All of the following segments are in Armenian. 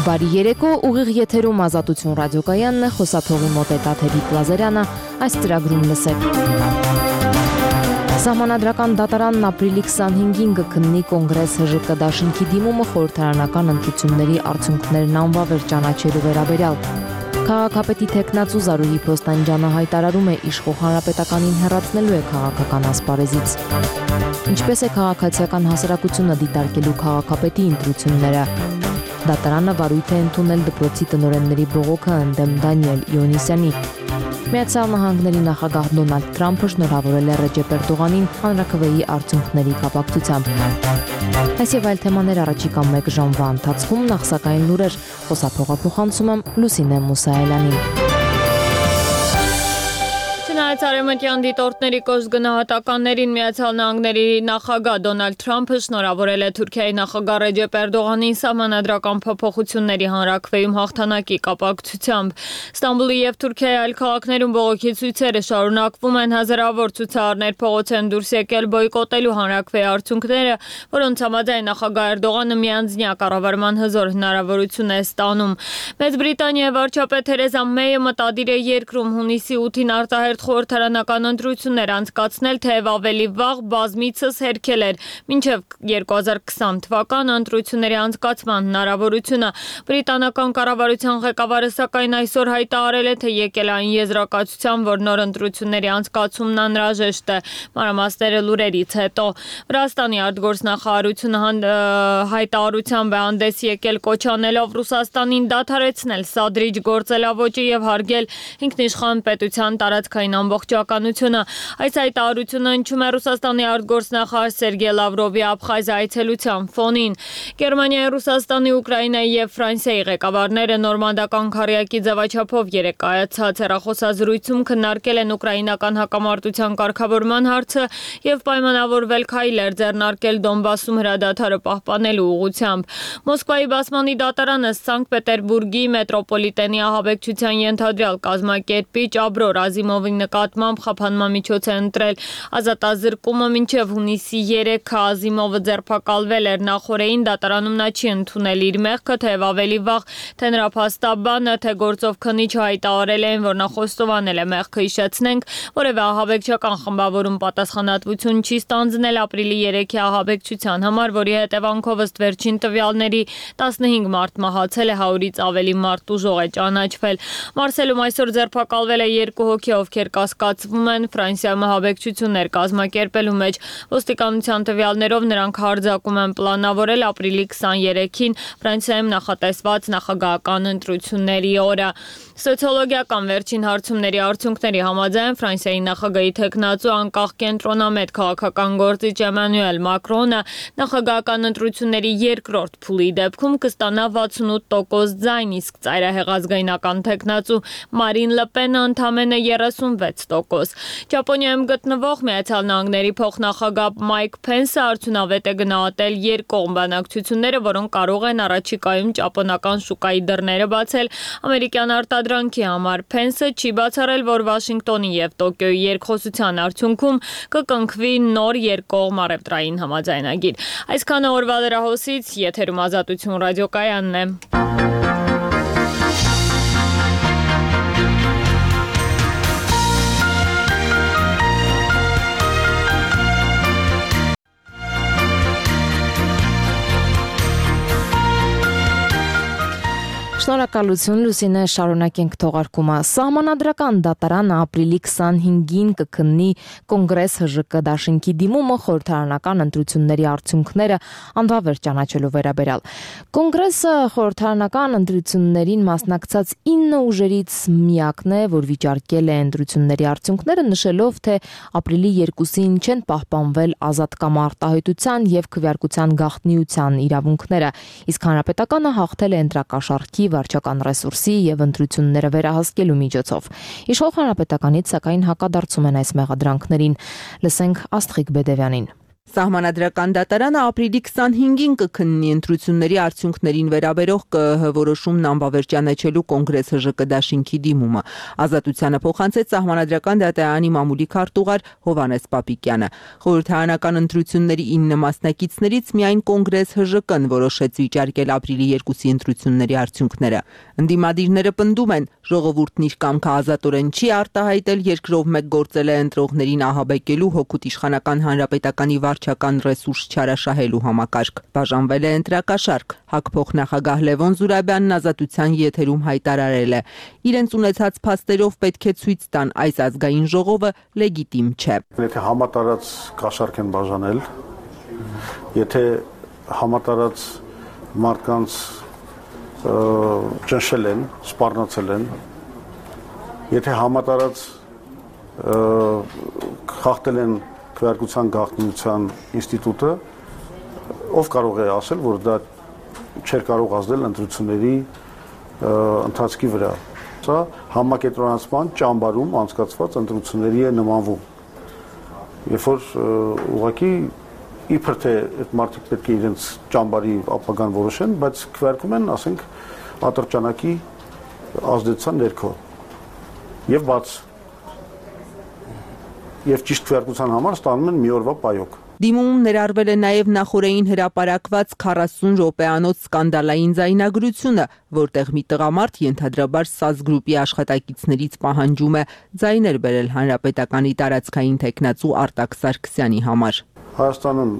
Բարի երեկո, ուղիղ եթերում Ազատություն ռադիոկայանն է, խոսափողի մոտ է Տաթևիկ Լազարյանը, այս ծրագրում լսեք։ Սահմանադրական դատարանն ապրիլի 25-ին կքննի Կոնգրես ՀԺԿ դաշինքի դիմումը խորհրդարանական ընտրությունների արդյունքներն անվավեր ճանաչելու վերաբերյալ։ Քաղաքապետի թեկնածու Զարուհի Փոստանջյանը հայտարարում է իշխող հանրապետականին հեռացնելու է քաղաքական ասպարեզից։ Ինչպես է քաղաքացիական հասարակությունը դիտարկելու քաղաքապետի ընտրությունները։ Դատարանը վարույթ է ընդունել դպրոցի տնօրենների բողոքը ընդդեմ Դանիել Իոնիսյանի։ Միացյալ Նահանգների նախագահ Դոնալդ Թրամփը շնորհավորել է Ռեջեփ Էրդողանին հանրաքվեի արդյունքների կապակցությամբ։ Այս եւ այլ թեմաներ առաջիկա 1 ժամվա ընթացքում նախ սակայն լուրեր խոսափողը փոխանցում եմ Լուսինե Մուսայելյանին։ Չնայած արևմտյան դիտորդների կոշտ գնահատականներին Միացյալ Նահանգների նախագահ Դոնալդ Թրամփը շնորհավորել է Թուրքիայի նախագահ Ռեջեփ Էրդողանին սահմանադրական փոփոխությունների հանրաքվեում հաղթանակի կապակցությամբ։ Ստամբուլի եւ Թուրքիայի այլ քաղաքներում բողոքի ցույցերը շարունակվում են, հազարավոր ցուցարարներ փողոց են դուրս եկել բոյկոտելու հանրաքվեի արդյունքները, որոնց համաձայն նախագահ Էրդողանը միանձնյա կառավարման հզոր հնարավորություն է ստանում։ Մեծ Բրիտանիայի վարչապետ Թերեզա Մեյը մտադիր է երկրում հունիսի 8-ին արտահերթ խորհրդարանական ընտրություններ անցկացնել, թեև ավելի վաղ բազմիցս հերքել էր մինչև 2020 թվականը ընտրությունների անցկացման հնարավորությունը։ Բրիտանական կառավարության ղեկավարը սակայն այսօր հայտարարել է, թե եկել այն եզրակացության, որ նոր ընտրությունների անցկացումն անհրաժեշտ է։ Մանրամասները լուրերից հետո Վրաստանի արտգործնախարարությունը հայտարարությամբ է հանդես եկել կոչ անելով Ռուսաստանին դադարեցնել սադրիչ գործելավոճը եւ հարգել ինքնիշխան պետության տարածքային ամբողջականությունը։ Այս հայտարարությունը հնչում է Ռուսաստանի արտգործնախարար Սերգեյ Լավրովի Աբխազիա այցելության ֆոնին։ Գերմանիայի, Ռուսաստանի, Ուկրաինայի եւ Ֆրանսիայի ղեկավարները նորմանդական քառյակի ձևաչափով երեկ կայացած հեռախոսազրույցում քննարկել են ուկրաինական հակամարտության կարգավորման հարցը եւ պայմանավորվել քայլեր ձեռնարկել Դոնբասում հրադադարը պահպանելու ուղղությամբ։ Մոսկվայի բասմանի դատարանը Սանկտ Պետերբուրգի մետրոպոլիտենի ահաբեկչության ենթադրյալ կազմակերպիչ Աբրոր Ազիմովի նկատմամբ խափանման միջոց է ընտրել ազատազրկումը մինչև հունիսի 3-ը։ Ազիմովը ձերբակալվել էր նախորդին դատարանում նա չի ընդունել իր մեղքը, թեև ավելի վաղ թե նրա փաստաբանը, թե գործով քննիչը հայտարարել են, որ նա խոստովանել է մեղքը։ Հիշեցնենք, որևէ ահաբեկչական խմբավորում պատասխանատվություն չի ստանձնել ապրիլի 3-ի ահաբեկչության համար, որի հետևանքով ըստ վերջին տվյալների 15 մարդ մահացել է, 100-ից ավելի մարդ ուժող է ճանաչվել։ Մարսելում այսօր ձերբակալվել է 2 հոգի, ովքեր կասկածվում են Ֆրանսիայում ահաբեկչություններ կազմակերպելու մեջ։ Ոստիկանության տվյալներով նրանք հարձակում են պլանավորել ապրիլի 23-ին Ֆրանսիայում նախատեսված նախագահական ընտրությունների օրը։ Սոցիոլոգիական վերջին հարցումների արդյունքների համաձայն Ֆրանսիայի նախագահի թեկնածու անկախ կենտրոնամետ քաղաքական գործիչ Էմանուել Մակրոնը նախագահական ընտրությունների երկրորդ փուլի դեպքում կստանա 68% ձայն, իսկ ծայրահեղ ազգայնական թեկնածու Մարին Լը Պենը ընդամենը 36%։ Ճապոնիայում գտնվող Միացյալ Նահանգների փոխնախագահ Մայք Փենսը արդյունավետ է գնահատել երկկողմ բանակցությունները, որոնք կարող են առաջիկայում ճապոնական շուկայի դռները բացել ամերիկյան արտադրանքի համար։ Փենսը չի բացառել, որ Վաշինգտոնի եւ Տոկիոյի երկխոսության արդյունքում կկնքվի նոր երկկողմ առևտրային համաձայնագիր։ Այսքանը օրվա լրահոսից, եթերում Ազատություն ռադիոկայանն է։ Շնորհակալություն Լուսինե, շարունակենք թողարկումը։ Սահմանադրական դատարանը ապրիլի 25-ին կքննի Կոնգրես ՀԺԿ դաշինքի դիմումը խորհրդարանական ընտրությունների արդյունքները անվավեր ճանաչելու վերաբերյալ։ Կոնգրեսը խորհրդարանական ընտրություններին մասնակցած 9 ուժերից միակն է, որ վիճարկել է ընտրությունների արդյունքները, նշելով, թե ապրիլի 2-ին չեն պահպանվել ազատ կամ արտահայտության եւ քվեարկության գաղտնիության իրավունքները, իսկ հանրապետականը հաղթել է ընտրակաշառքի վարչական ռեսուրսի եւ ընտրությունները վերահսկելու միջոցով։ Իշխող հանրապետականից սակայն հակադարձում են այս մեղադրանքներին։ Լսենք Աստղիկ Բեդևյանին։ Սահմանադրական դատարանը ապրիլի 25-ին կքննի ընտրությունների արդյունքներին վերաբերող ԿԸՀ որոշումն անվավերջանեչելու կոնգրես ՀԺԿ դաշինքի դիմումը։ Ազատությանը փոխանցեց Սահմանադրական դատարանի մամուլի քարտուղար Հովհաննես Պապիկյանը։ Խորհրդարանական ընտրությունների 9 մասնակիցներից միայն կոնգրես ՀԺԿ-ն որոշեց վիճարկել ապրիլի 2-ի ընտրությունների արդյունքները։ Ընդդիմադիրները պնդում են, ժողովուրդն իր կամքը ազատորեն չի արտահայտել, երկրով մեկ գործել է ընտրողներին ահաբեկելու, հօգուտ իշխանական հանրապետականի վարչական ռեսուրս չարաշահելու համակարգ։ Բաժանվել է ընտրակաշառք։ ՀԱԿ փոխնախագահ Լևոն Զուրաբյանն Ազատության եթերում հայտարարել է. իրենց ունեցած փաստերով պետք է ցույց տան այս ազգային ժողովը լեգիտիմ չէ։ Եթե համատարած կաշառք են բաժանել, եթե համատարած մարդկանց ճնշել են, սպառնացել են, եթե համատարած խախտել են քվեարկության գաղտնիության ինստիտուտը, ով կարող է ասել, որ դա չէր կարող ազդել ընտրությունների ընթացքի վրա։ Սա համակենտրոնացման ճամբարում անցկացված ընտրությունների է նմանվում։ Երբ որ ուղղակի իբր թե այդ մարդիկ պետք է իրենց ճամբարի ապագան որոշեն, բայց քվեարկում են, ասենք, ատրճանակի ազդեցության ներքո եւ բաց եւ ճիշտ քվեարկության համար ստանում են մի օրվա պայոկ։ Դիմումում ներառվել է նաև նախորդին հրապարակված 40 րոպեանոց սկանդալային ձայնագրությունը, որտեղ մի տղամարդ ենթադրաբար ՍԱԶ գրուպի աշխատակիցներից պահանջում է ձայներ բերել հանրապետականի տարածքային տեխնացու Արտակ Սարգսյանի համար։ Հայաստանում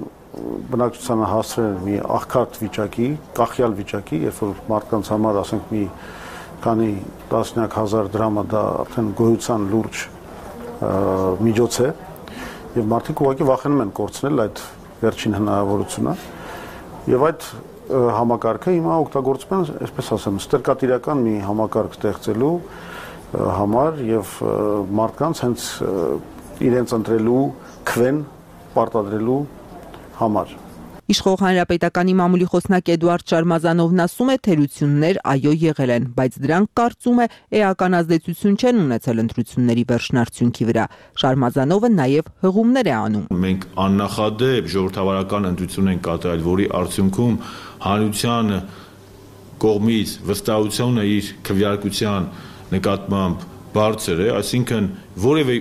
բնակչությանը հասցրել են մի աղքատ վիճակի, կախյալ վիճակի, երբ որ մարդկանց համար, ասենք, մի քանի տասնյակ հազար դրամը դա արդեն գոյության լուրջ միջոց է, եւ մարդիկ ուղղակի վախենում են կորցնել այդ վերջին հնարավորությունը, եւ այդ համակարգը հիմա օգտագործում են, այսպես ասեմ, ստրկատիրական մի համակարգ ստեղծելու համար եւ մարդկանց հենց իրենց ընտրելու քվեն պարտադրելու համար։ Իշխող հանրապետականի մամուլի խոսնակ Էդուարդ Շարմազանովն ասում է, թերություններ այո եղել են, բայց դրանք կարծում է էական ազդեցություն չեն ունեցել ընտրությունների վերջնարդյունքի վրա։ Շարմազանովը նաև հղումներ է անում։ Մենք աննախադեպ ժողովրդավարական ընտրություն ենք կատարել, որի արդյունքում հանրության կողմից վստահությունը իր քվեարկության նկատմամբ բարձր է, այսինքն որևէ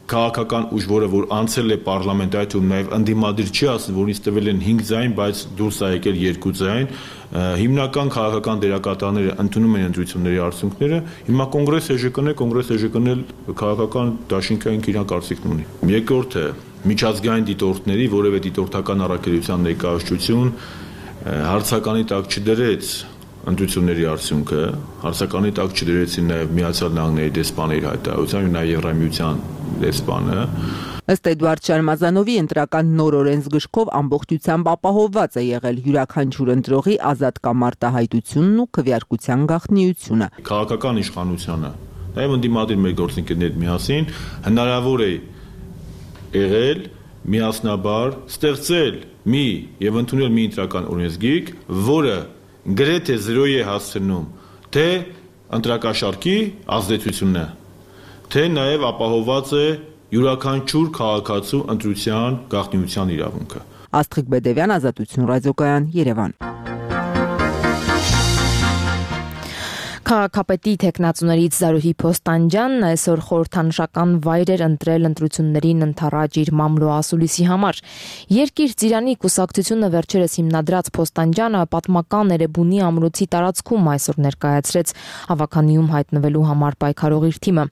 քաղաքական ուժ, որը որ անցել է պարլամենտայում, նաև ընդդիմադիր չի ասում, որ ինձ տվել են 5 ձայն, բայց դուրս է եկել 2 ձայն, հիմնական քաղաքական դերակատարները ընդունում են ընտրությունների արդյունքները, հիմա կոնգրես ՀԺԿ-ն է, կոնգրես ՀԺԿ-ն էլ քաղաքական դաշինքային իր կարծիքն ունի։ Երկրորդը միջազգային դիտորդների որևէ դիտորդական առաքելության ներկայացություն հարցականի տակ չդրեց ընտրությունների արդյունքը, հարցականի տակ չդրեցին նաև Միացյալ Նահանգների դեսպանը իր հայտարարությամբ, նաև Եվրամիության դեսպանը։ Ըստ Էդուարդ Շարմազանովի ընտրական նոր օրենսգրքով ամբողջությամբ ապահովված է եղել յուրաքանչյուր ընտրողի ազատ կամ արտահայտությունն ու քվեարկության գաղտնիությունը։ Քաղաքական իշխանությունը, նաև ընդդիմադիր մեր գործընկերներ միասին հնարավոր է եղել միասնաբար ստեղծել մի եւ ընդունել մի ընտրական օրենսգիրք, որը գրեթե 0 է հասցնում թե ընտրակաշառքի ազդեցությունը, թե նաև ապահովված է յուրաքանչյուր քաղաքացու ընտրության գաղտնիության իրավունքը։ Աստղիկ Բեդևյան, Ազատություն ռադիոկայան, Երևան։ Քաղաքապետի տեխնացուներից Զարուհի Փոստանջյանն այսօր խորհրդանշական վայր էր ընտրել ընտրություններին ընթառաջ իր մամլո ասուլիսի համար։ Երկիր Ծիրանի կուսակցությունը վերջերս հիմնադրած Փոստանջյանը պատմական Էրեբունի ամրոցի տարածքում այսօր ներկայացրեց հավաքանիում հայտնվելու համար պայքարող իր թիմը։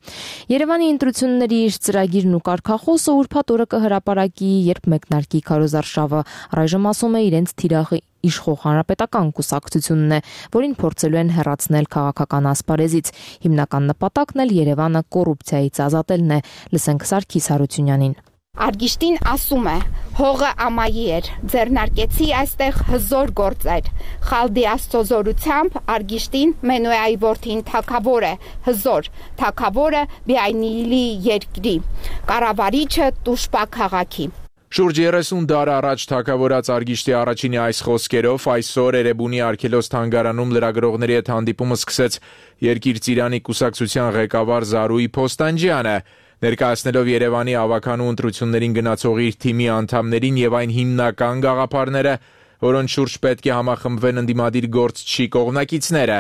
Երևանի ընտրությունների իր ծրագիրն ու կարգախոսը ուրբաթ օրը կհրապարակի, երբ մեկնարկի քարոզարշավը, առայժմ ասում է իրենց թիրախի իշխող հանրապետական կուսակցությունն է, որին փորձելու են հեռացնել քաղաքական ասպարեզից։ Հիմնական նպատակն էլ Երևանը կոռուպցիայից ազատելն է։ Լսենք Սարգիս Հարությունյանին։ Արգիշտին ասում է, հողը ամայի էր, ձեռնարկեցի այստեղ հզոր գործեր։ Խալդի աստծոզորությամբ Արգիշտին Մենոյայի որդին թագավոր է, հզոր, թագավորը Բիայնիլի երկրի, կառավարիչը Տուշպա քաղաքի։ Շուրջ 30 դար առաջ թագավորած Արգիշտի առաջինի այս խոսքերով այսօր Էրեբունի Արգելոս թանգարանում լրագրողների հետ հանդիպումը սկսեց Երկիր Ծիրանի կուսակցության ղեկավար Զարուհի Փոստանջյանը։ Ներկայացնելով Երևանի ավականու ընտրություններին գնացող իր թիմի անդամներին եւ այն հիմնական գաղափարները, որոնց շուրջ պետք է համախմբվեն ընդդիմադիր գործչի կողմնակիցները,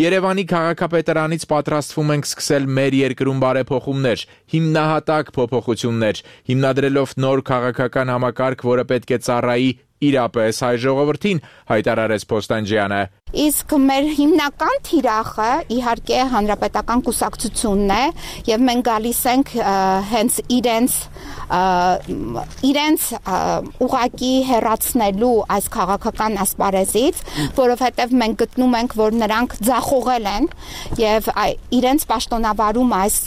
Երևանի քաղաքապետարանից պատրաստվում ենք սկսել մեր երկրում բարեփոխումներ, հիմնահատակ փոփոխություններ, հիմնադրելով նոր քաղաքական համակարգ, որը պետք է ծառայի իրապես հայ ժողովրդին, հայտարարեց Փոստանջյանը։ Իսկ մեր հիմնական թիրախը իհարկե հանրապետական կուսակցությունն է եւ մենք գալիս ենք հենց իրենց ուղակի հեռացնելու այս քաղաքական ասպարեզից, որովհետեւ մենք գտնում ենք, որ նրանք ձախողել են եւ իրենց պաշտոնավարումը, այս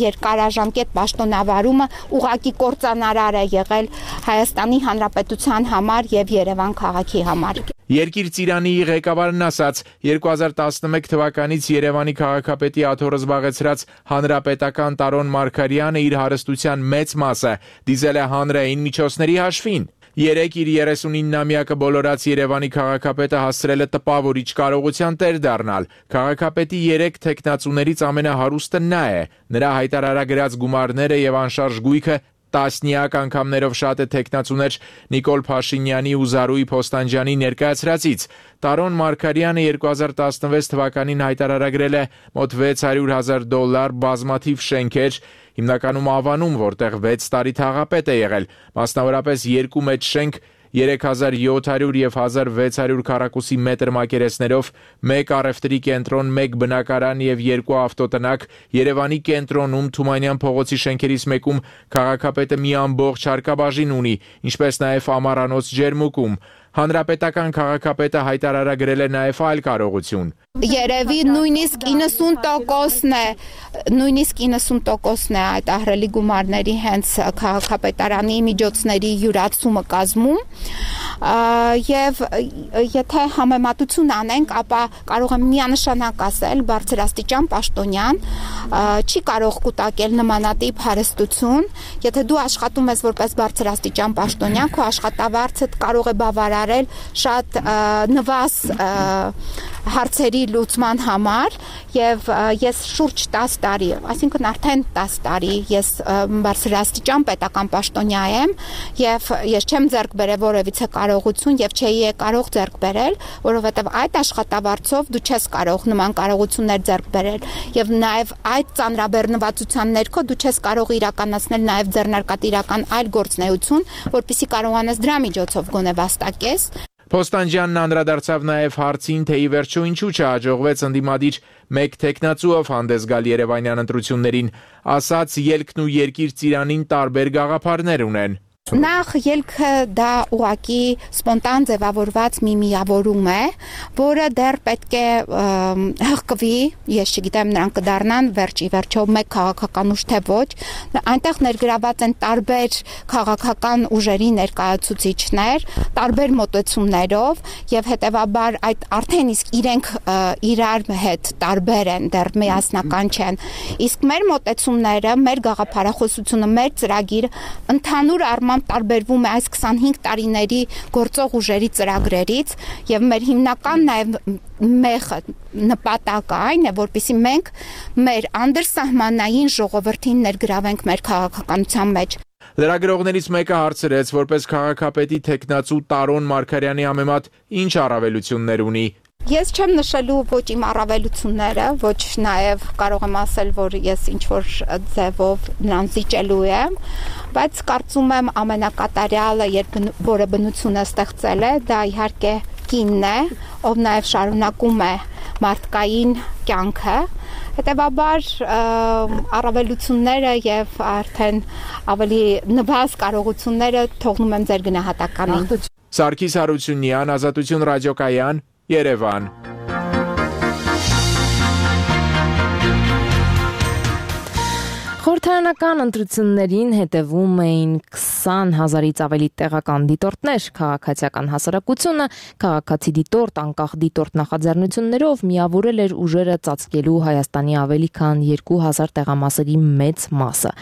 երկարաժամկետ պաշտոնավարումը ուղակի կործանարար է եղել Հայաստանի Հանրապետության համար եւ Երևան քաղաքի համար։ Երկիր Ծիրանի ղեկավարն ասաց, 2011 թվականից Երևանի քաղաքապետի աթոռը զբաղեցրած հանրապետական Տարոն Մարգարյանը իր հարստության մեծ մասը դիզել է հանրային միջոցների հաշվին։ Երեկ իր 39-ամյակը բոլորած Երևանի քաղաքապետը հասցրել է տպավորիչ կարողության տեր դառնալ։ Քաղաքապետի 3 թեկնածուներից ամենահարուստը նա է։ Նրա հայտարարագրած գումարները եւ անշարժ գույքը տասնյակ անգամներով շատ է թեկնածուներ Նիկոլ Փաշինյանի ու Զարուհի Փոստանջյանի ներկայացրածից։ Տարոն Մարգարյանը 2016 թվականին հայտարարագրել է մոտ $600,000 բազմաթիվ շենքեր, հիմնականում Ավանում, որտեղ 6 տարի թաղապետ է եղել, մասնավորապես 2 մեծ շենք 3700 եւ 1600 քառակուսի մետր մակերեսներով, 1 առևտրի կենտրոն, 1 բնակարան եւ 2 ավտոտնակ, Երևանի կենտրոնում Թումանյան փողոցի շենքերից մեկում քաղաքապետը մի ամբողջ հարկաբաժին ունի, ինչպես նաեւ Ամառանոց ջերմուկում։ Հանրապետական քաղաքապետը հայտարարագրել է նաև այլ կարողություն։ Երևի նույնիսկ 90%-ն է այդ ահռելի գումարների հենց քաղաքապետարանի միջոցների յուրացումը կազմում, եւ եթե համեմատություն անենք, ապա կարող եմ միանշանակ ասել, բարձրաստիճան պաշտոնյան չի կարող կուտակել նմանատիպ հարստություն, եթե դու աշխատում ես որպես բարձրաստիճան պաշտոնյան, քո աշխատավարձը կարող է բավարարել շատ նվազ հարցերի լուծման համար եւ ես շուրջ 10 տարի, այսինքն արդեն 10 տարի ես բարձրաստիճան պետական պաշտոնյա եմ եւ ես չեմ ձեռք բերել որևիցե կարողություն եւ չէի կարող ձեռք բերել, որովհետեւ այդ աշխատավարձով դու չես կարող նման կարողություններ ձեռք բերել եւ նաեւ այդ ծանրաբեռնվածության ներքո դու չես կարող իրականացնել նաեւ ձեռնարկատիրական այլ գործունեություն, որպեսզի կարողանաս դրա միջոցով գոնե վաստակես։ Փոստանջյանն անդրադարձավ նաև հարցին, թե ի վերջո ինչու չհաջողվեց ընդդիմադիր մեկ թեկնածուով հանդես գալ Երևանյան ընտրություններին, ասաց ելքն ու Երկիր Ծիրանին տարբեր գաղափարներ ունեն։ Նախ ելքը դա ուղակի սպոնտան ձևավորված մի միավորում է, որը դեռ պետք է հղկվի, ես չգիտեմ նրանք կդառնան վերջի վերջով մեկ քաղաքական ուժ թե ոչ, այնտեղ ներգրաված են տարբեր քաղաքական ուժերի ներկայացուցիչներ, տարբեր մոտեցումներով եւ հետեւաբար այդ արդեն իսկ իրենք իրար հետ տարբեր են, դեռ միասնական չեն։ Իսկ մեր մոտեցումները, մեր գաղափարախոսությունը, մեր ծրագիրը ընդհանուր առմամբ տարբերվում է այս 25 տարիների գործող ուժերի ծրագրերից եւ մեր հիմնական նաեւ նպատակը այն է, որպեսզի մենք մեր անդրսահմանային ժողովրդին ներգրավենք մեր քաղաքականության մեջ։ Լրագրողներից մեկը հարցրեց, որպես քաղաքապետի թեկնածու Տարոն Մարգարյանի համեմատ ինչ առավելություններ ունի։ Ես չեմ նշելու ոչ իմ առավելությունները, ոչ նաև կարող եմ ասել, որ ես ինչ-որ ձևով նրան զիջելու եմ, բայց կարծում եմ ամենակատարյալը, որը բնությունը ստեղծել է, դա իհարկե կինն է, ով նաև շարունակում է մարդկային կյանքը, հետևաբար առավելությունները եւ արդեն ավելի նվազ կարողությունները թողնում եմ ձեր գնահատականին։ Սարգիս Հարությունյան, Ազատություն ռադիոկայան, Երևան։ Խորհրդարանական ընտրություններին հետևում էին 20,000-ից ավելի տեղական դիտորդներ, քաղաքացիական հասարակությունը, քաղաքացի դիտորդ, անկախ դիտորդ նախաձեռնություններով միավորել էր ուժերը ծածկելու Հայաստանի ավելի քան 2,000 տեղամասերի մեծ մասը։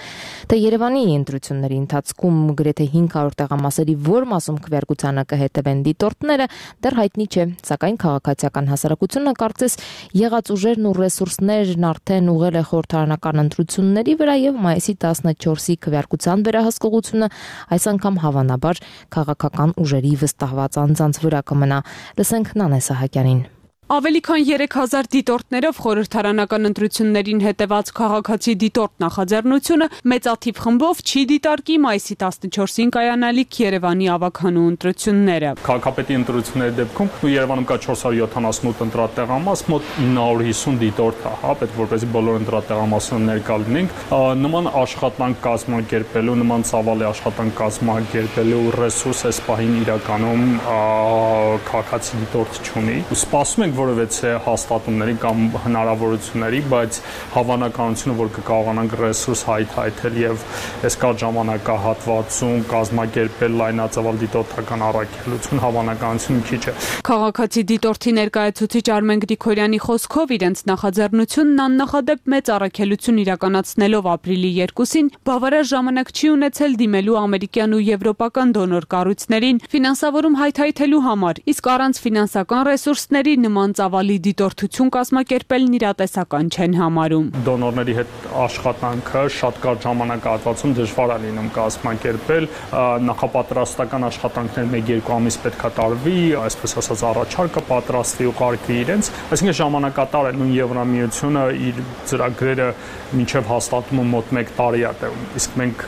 Թե Երևանի ընտրությունների ընթացքում գրեթե 500 տեղամասերի որ մասում քվեարկությանը կհետևեն դիտորդները, դեռ հայտնի չէ, սակայն քաղաքացիական հասարակությունը կարծես եղած ուժերն ու ռեսուրսներն արդեն ուղղել է խորհրդարանական ընտրությունների վրա վրա եւ մայիսի 14-ի քվեարկության վերահսկողությունը այս անգամ հավանաբար քաղաքական ուժերի վստահված անձանց վրա կմնա։ Լսենք Նանե Սահակյանին։ Ավելի քան 3000 դիտորդներով խորհրդարանական ընտրություններին հետևած քաղաքացի դիտորդ նախաձեռնությունը մեծաթիվ խմբով չի դիտարկի մայիսի 14-ին կայանալիք Երևանի ավագանու ընտրությունները։ Քաղաքապետի ընտրությունների դեպքում Երևանում կա 478 ընտրատեղամաս, մոտ 950 դիտորդ է, հա, պետք որպեսզի բոլոր ընտրատեղամասները ներկա լինենք։ Նման աշխատանք կազմակերպելու, նման ծավալի աշխատանք կազմակերպելու ռեսուրս այս պահին իրականում քաղաքացի դիտորդ չունի։ Սպասում ենք որևէ հաստատումների կամ հնարավորությունների, բայց հավանականությունը, որ կկարողանանք ռեսուրս հայթայթել եւ այս կար ժամանակահատվածում կազմակերպել լայնածավալ դիտորդական առաքելություն, հավանականությունը քիչ է։ Քաղաքացի դիտորդի ներկայացուցիչ Արմեն Գրիգորյանի խոսքով իրենց նախաձեռնությունն աննախադեպ մեծ առաքելություն իրականացնելով ապրիլի 2-ին բավարար ժամանակ չի ունեցել դիմելու ամերիկյան ու եվրոպական դոնոր կառույցներին ֆինանսավորում հայթայթելու համար, իսկ առանց ֆինանսական ռեսուրսների նման ծավալի դիտորդություն կազմակերպելն իրատեսական չեն համարում։ Դոնորների հետ աշխատանքը շատ կարճ ժամանակահատվածում դժվար է լինում կազմակերպել, նախապատրաստական աշխատանքներ 1-2 ամիս պետք է տարվի, այսպես ասած առաջարկը պատրաստվի ու կարգվի իրենց, այսինքն ժամանակատար է, նույն Եվրամիությունը իր ծրագրերը մինչև հաստատումը մոտ 1 տարի է տևում, իսկ մենք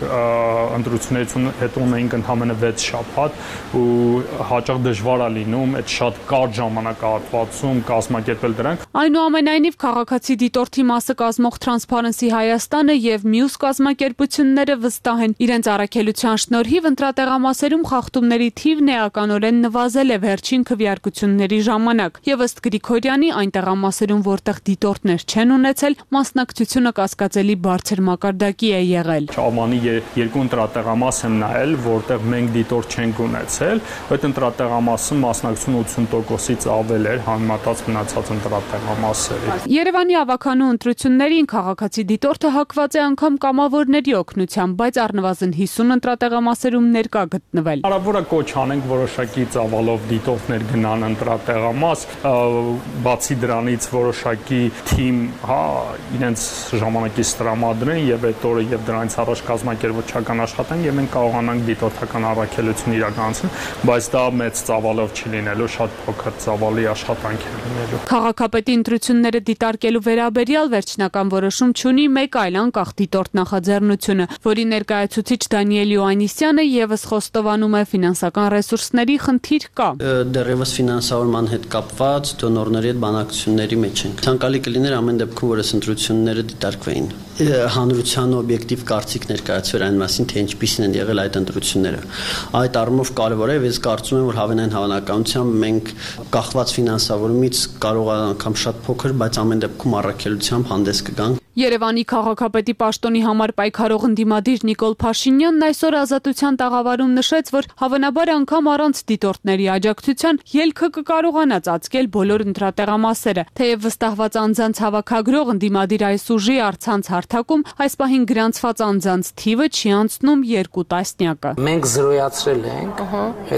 ընտրություններից հետո ունեինք ընդամենը 6 շաբաթ ու հաճախ դժվար է լինում այդ շատ կարճ ժամանակահատվածում կազմակերպել դրանք։ Այնուամենայնիվ քաղաքացի դիտորդի մասը կազմող Transparency Հայաստանը եւ մյուս կազմակերպությունները վստահ են իրենց առաքելության շնորհիվ ընտրատեղամասերում խախտումների թիվն էականորեն նվազել է վերջին քվեարկությունների ժամանակ եւ ըստ Գրիգորյանի այն տեղամասերում, որտեղ դիտորդներ չեն ունեցել, մասնակցությունը կասկածելի բարձր մակարդակի է եղել։ Ամանի 2 ընտրատեղամաս եմ նայել, որտեղ մենք դիտորդ չենք ունեցել, այդ ընտրատեղամասում մասնակցությունը 80%-ից ավել էր համեմատած մնացած ընտրատեղամասերի։ Երևանի ավագանու ընտրություններին քաղաքացի դիտորդը հակված է անգամ կամավորների օգնությամբ, բայց առնվազն 50 ընտրատեղամասերում ներկա գտնվել։ Հարաբերական կոչ անենք որոշակի ծավալով դիտորդներ գնան ընտրատեղամաս, բացի դրանից որոշակի թիմ, հա, իրենց ժամանակից տրամադրեն եւ այդ օրը եւ դրանից առաջ կազմակերպչական աշխատանք եւ մենք կարողանանք դիտորդական առաքելություն իրականացնել, բայց դա մեծ ծավալով չի լինելու, շատ փոքր ծավալի աշխատանք է լինելու։ Քաղաքապետի ընտրությունները դիտարկելու վերաբերյալ վերջնական որոշում չունի մեկ այլ անկախ դիտորդ նախաձեռնությունը, որի ներկայացուցիչ Դանիել Յոհաննիսյանը եւս խոստովանում է ֆինանսական ռեսուրսների խնդիր կա։ Դեռևս ֆինանսավորման հետ կապված դոնորների հետ բանակցությունների մեջ ենք։ Ցանկալի կլիներ ամեն դեպքում, որ այս ընտրությունները դիտարկվեին, հանրության օբյեկտիվ կարծիք ներկայացվեր այն մասին, թե ինչպիսին են եղել այդ ընտրությունները։ Այդ առումով կարևոր է, ես կարծում եմ, որ հավանային հավանականությամբ մենք կախված ֆինանսավորումից կարող է անգամ շատ փոքր, բայց ամեն դեպքում առաքելությամբ հանդես կգանք։ Երևանի քաղաքապետի պաշտոնի համար պայքարող ընդդիմադիր Նիկոլ Փաշինյանն այսօր Ազատության տաղավարում նշեց, որ հավանաբար անգամ առանց դիտորդների աջակցության ելքը կկարողանա ծածկել բոլոր ընտրատեղամասերը, թեև վստահված անձանց հավաքագրող ընդդիմադիր այս ուժի առցանց հարթակում այս պահին գրանցված անձանց թիվը չի անցնում 2 տասնյակը։ Մենք զրոյացրել ենք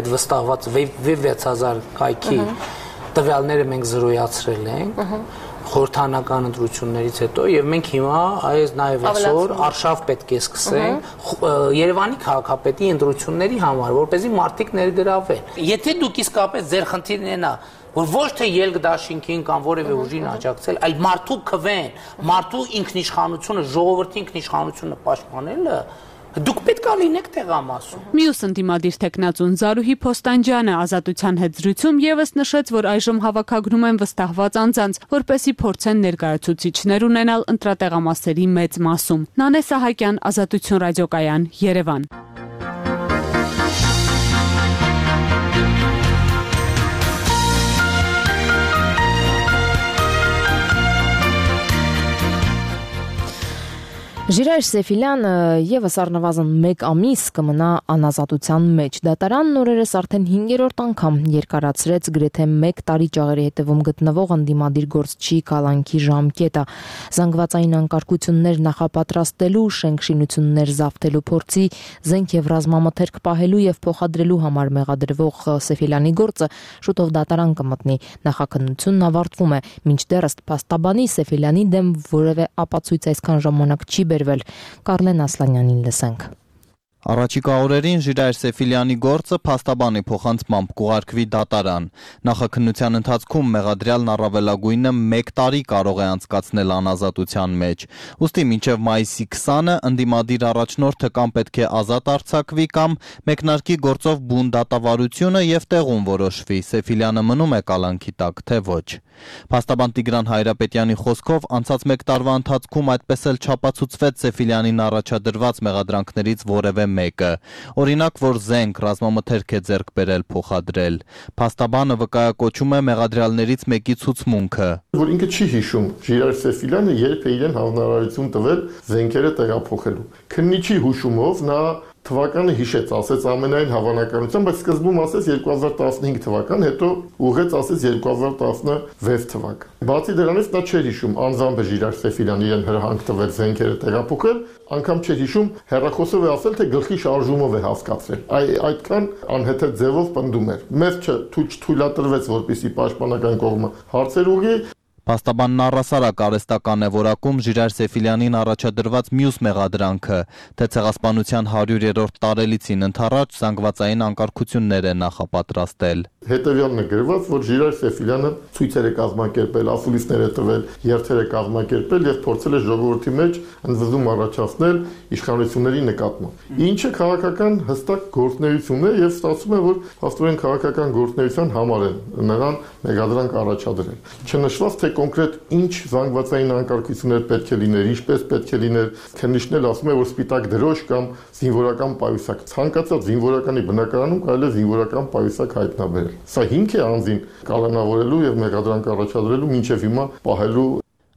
այդ վստահված 6000 կայքի տվյալները մենք զրոյացրել ենք խորհրդանական ընտրություններից հետո եւ մենք հիմա այս նաեւ այսօր արշավ պետք է սկսենք Երևանի քաղաքապետի ընտրությունների համար, որպեսզի մարդիկ ներգրավվեն։ Եթե դուք իսկապես ձեր խնդիրն է որ ոչ թե ելք դաշինքին կամ որևէ ուժին աջակցել, այլ մարդու քվեն, մարդու ինքնիշխանությունը, ժողովրդի ինքնիշխանությունը պաշտպանելը դուք պետք է լինեք տեղամասում։ Մյուս ընդդիմադիր տեխնացուն Զարուհի Փոստանջյանը Ազատության հետ զրույցում եւս նշեց, որ այժմ հավաքագրում են վստահված անձանց, որպեսզի փորձեն ներկայացուցիչներ ունենալ ընտրատեղամասերի մեծ մասում։ Նանե Սահակյան, Ազատություն ռադիոկայան, Երևան։ Ժիրայր Սեֆիլյանը եւս առնվազն 1 ամիս կմնա անազատության մեջ։ Դատարանն օրերս արդեն 5-րդ անգամ երկարացրեց գրեթե 1 տարի ճաղերի հետևում գտնվող ընդդիմադիր գործչի կալանքի ժամկետը։ Զանգվածային անկարգություններ նախապատրաստելու, շենքշինություններ զավթելու փորձի, զենք եւ ռազմամթերք պահելու եւ փոխադրելու համար մեղադրվող Սեֆիլյանի գործը շուտով դատարան կմտնի։ Նախաքննությունն ավարտվում է, մինչդեռ ըստ փաստաբանի Սեֆիլյանի դեմ որևէ ապացույց այսքան ժամանակ չի բերվել։ Կարլեն Ասլանյանին լսենք։ Առաջիկա օրերին Ժիրայր Սեֆիլյանի գործը փաստաբանի փոխանցմամբ կուղարկվի դատարան։ Նախաքննության ընթացքում մեղադրյալն առավելագույնը 1 տարի կարող է անցկացնել անազատության մեջ։ Ուստի մինչև մայիսի 20-ը ընդդիմադիր առաջնորդը կամ պետք է ազատ արձակվի կամ մեկնարկի գործով բուն դատավարությունը եւ տեղում որոշվի Սեֆիլյանը մնում է կալանքի տակ, թե ոչ։ Փաստաբան Տիգրան Հայրապետյանի խոսքով անցած 1 տարվա ընթացքում այդպես էլ չապացուցվեց Սեֆիլյանին առաջադրված մեղադրանքներից որևէ մեկը, օրինակ, որ զենք ռազմամթերք է ձեռք բերել փոխադրել։ Փաստաբանը վկայակոչում է մեղադրյալներից մեկի ցուցմունքը, որ ինքը չի հիշում Ժիրայր Սեֆիլյանը երբ է իրեն հանրարարություն տվել զենքերը տեղափոխելու։ Քննիչի հուշումով նա թվականը հիշեց, ասեց ամենայն հավանականությամբ, բայց սկզբում ասեց 2015 թվական, հետո ուղղեց ասեց 2016 թվական։ Բացի դրանից նա չէր հիշում անձամբ Ժիրայր Սեֆիլյանն իրեն հրահանգ տվել զենքերը տեղափոխել, անգամ չէր հիշում հեռախոսով է ասել, թե գլխի շարժումով է հասկացրել։ Այդքան անհեթեթ ձևով պնդում էր։ Մեզ չթույլատրվեց, որպեսզի պաշտպանական կողմը հարցեր ուղղի։ Փաստաբանն առհասարակ արհեստական է որակում Ժիրայր Սեֆիլյանին առաջադրված մյուս մեղադրանքը, թե ցեղասպանության 100-րդ տարելիցին ընթառաջ զանգվածային անկարգություններ է նախապատրաստել։ Հետևյալն է գրված, որ Ժիրայր Սեֆիլյանը ցույցեր է կազմակերպել, ասուլիսներ է տվել, երթեր է կազմակերպել եւ փորձել է ժողովրդի մեջ ընդվզում առաջացնել իշխանությունների նկատմամբ։ Ինչը քաղաքական հստակ գործունեություն է եւ ստացվում է, որ հաստորեն քաղաքական գործունեության համար են նրան մեղադրանք առաջադրել։ Չնշված թե կոնկրետ ինչ զանգվածային անկարգություններ պետք է լիներ, ինչպես պետք է լիներ, քննիչն ասում է, որ սպիտակ դրոշ կամ զինվորական պայուսակ, ցանկացած զինվորականի բնակարանում կարելի է զինվորական պայուսակ հայտնաբերել։ Սա հիմք է անձին կալանավորելու եւ մեղադրանք առաջադրելու մինչեւ հիմա պահելու։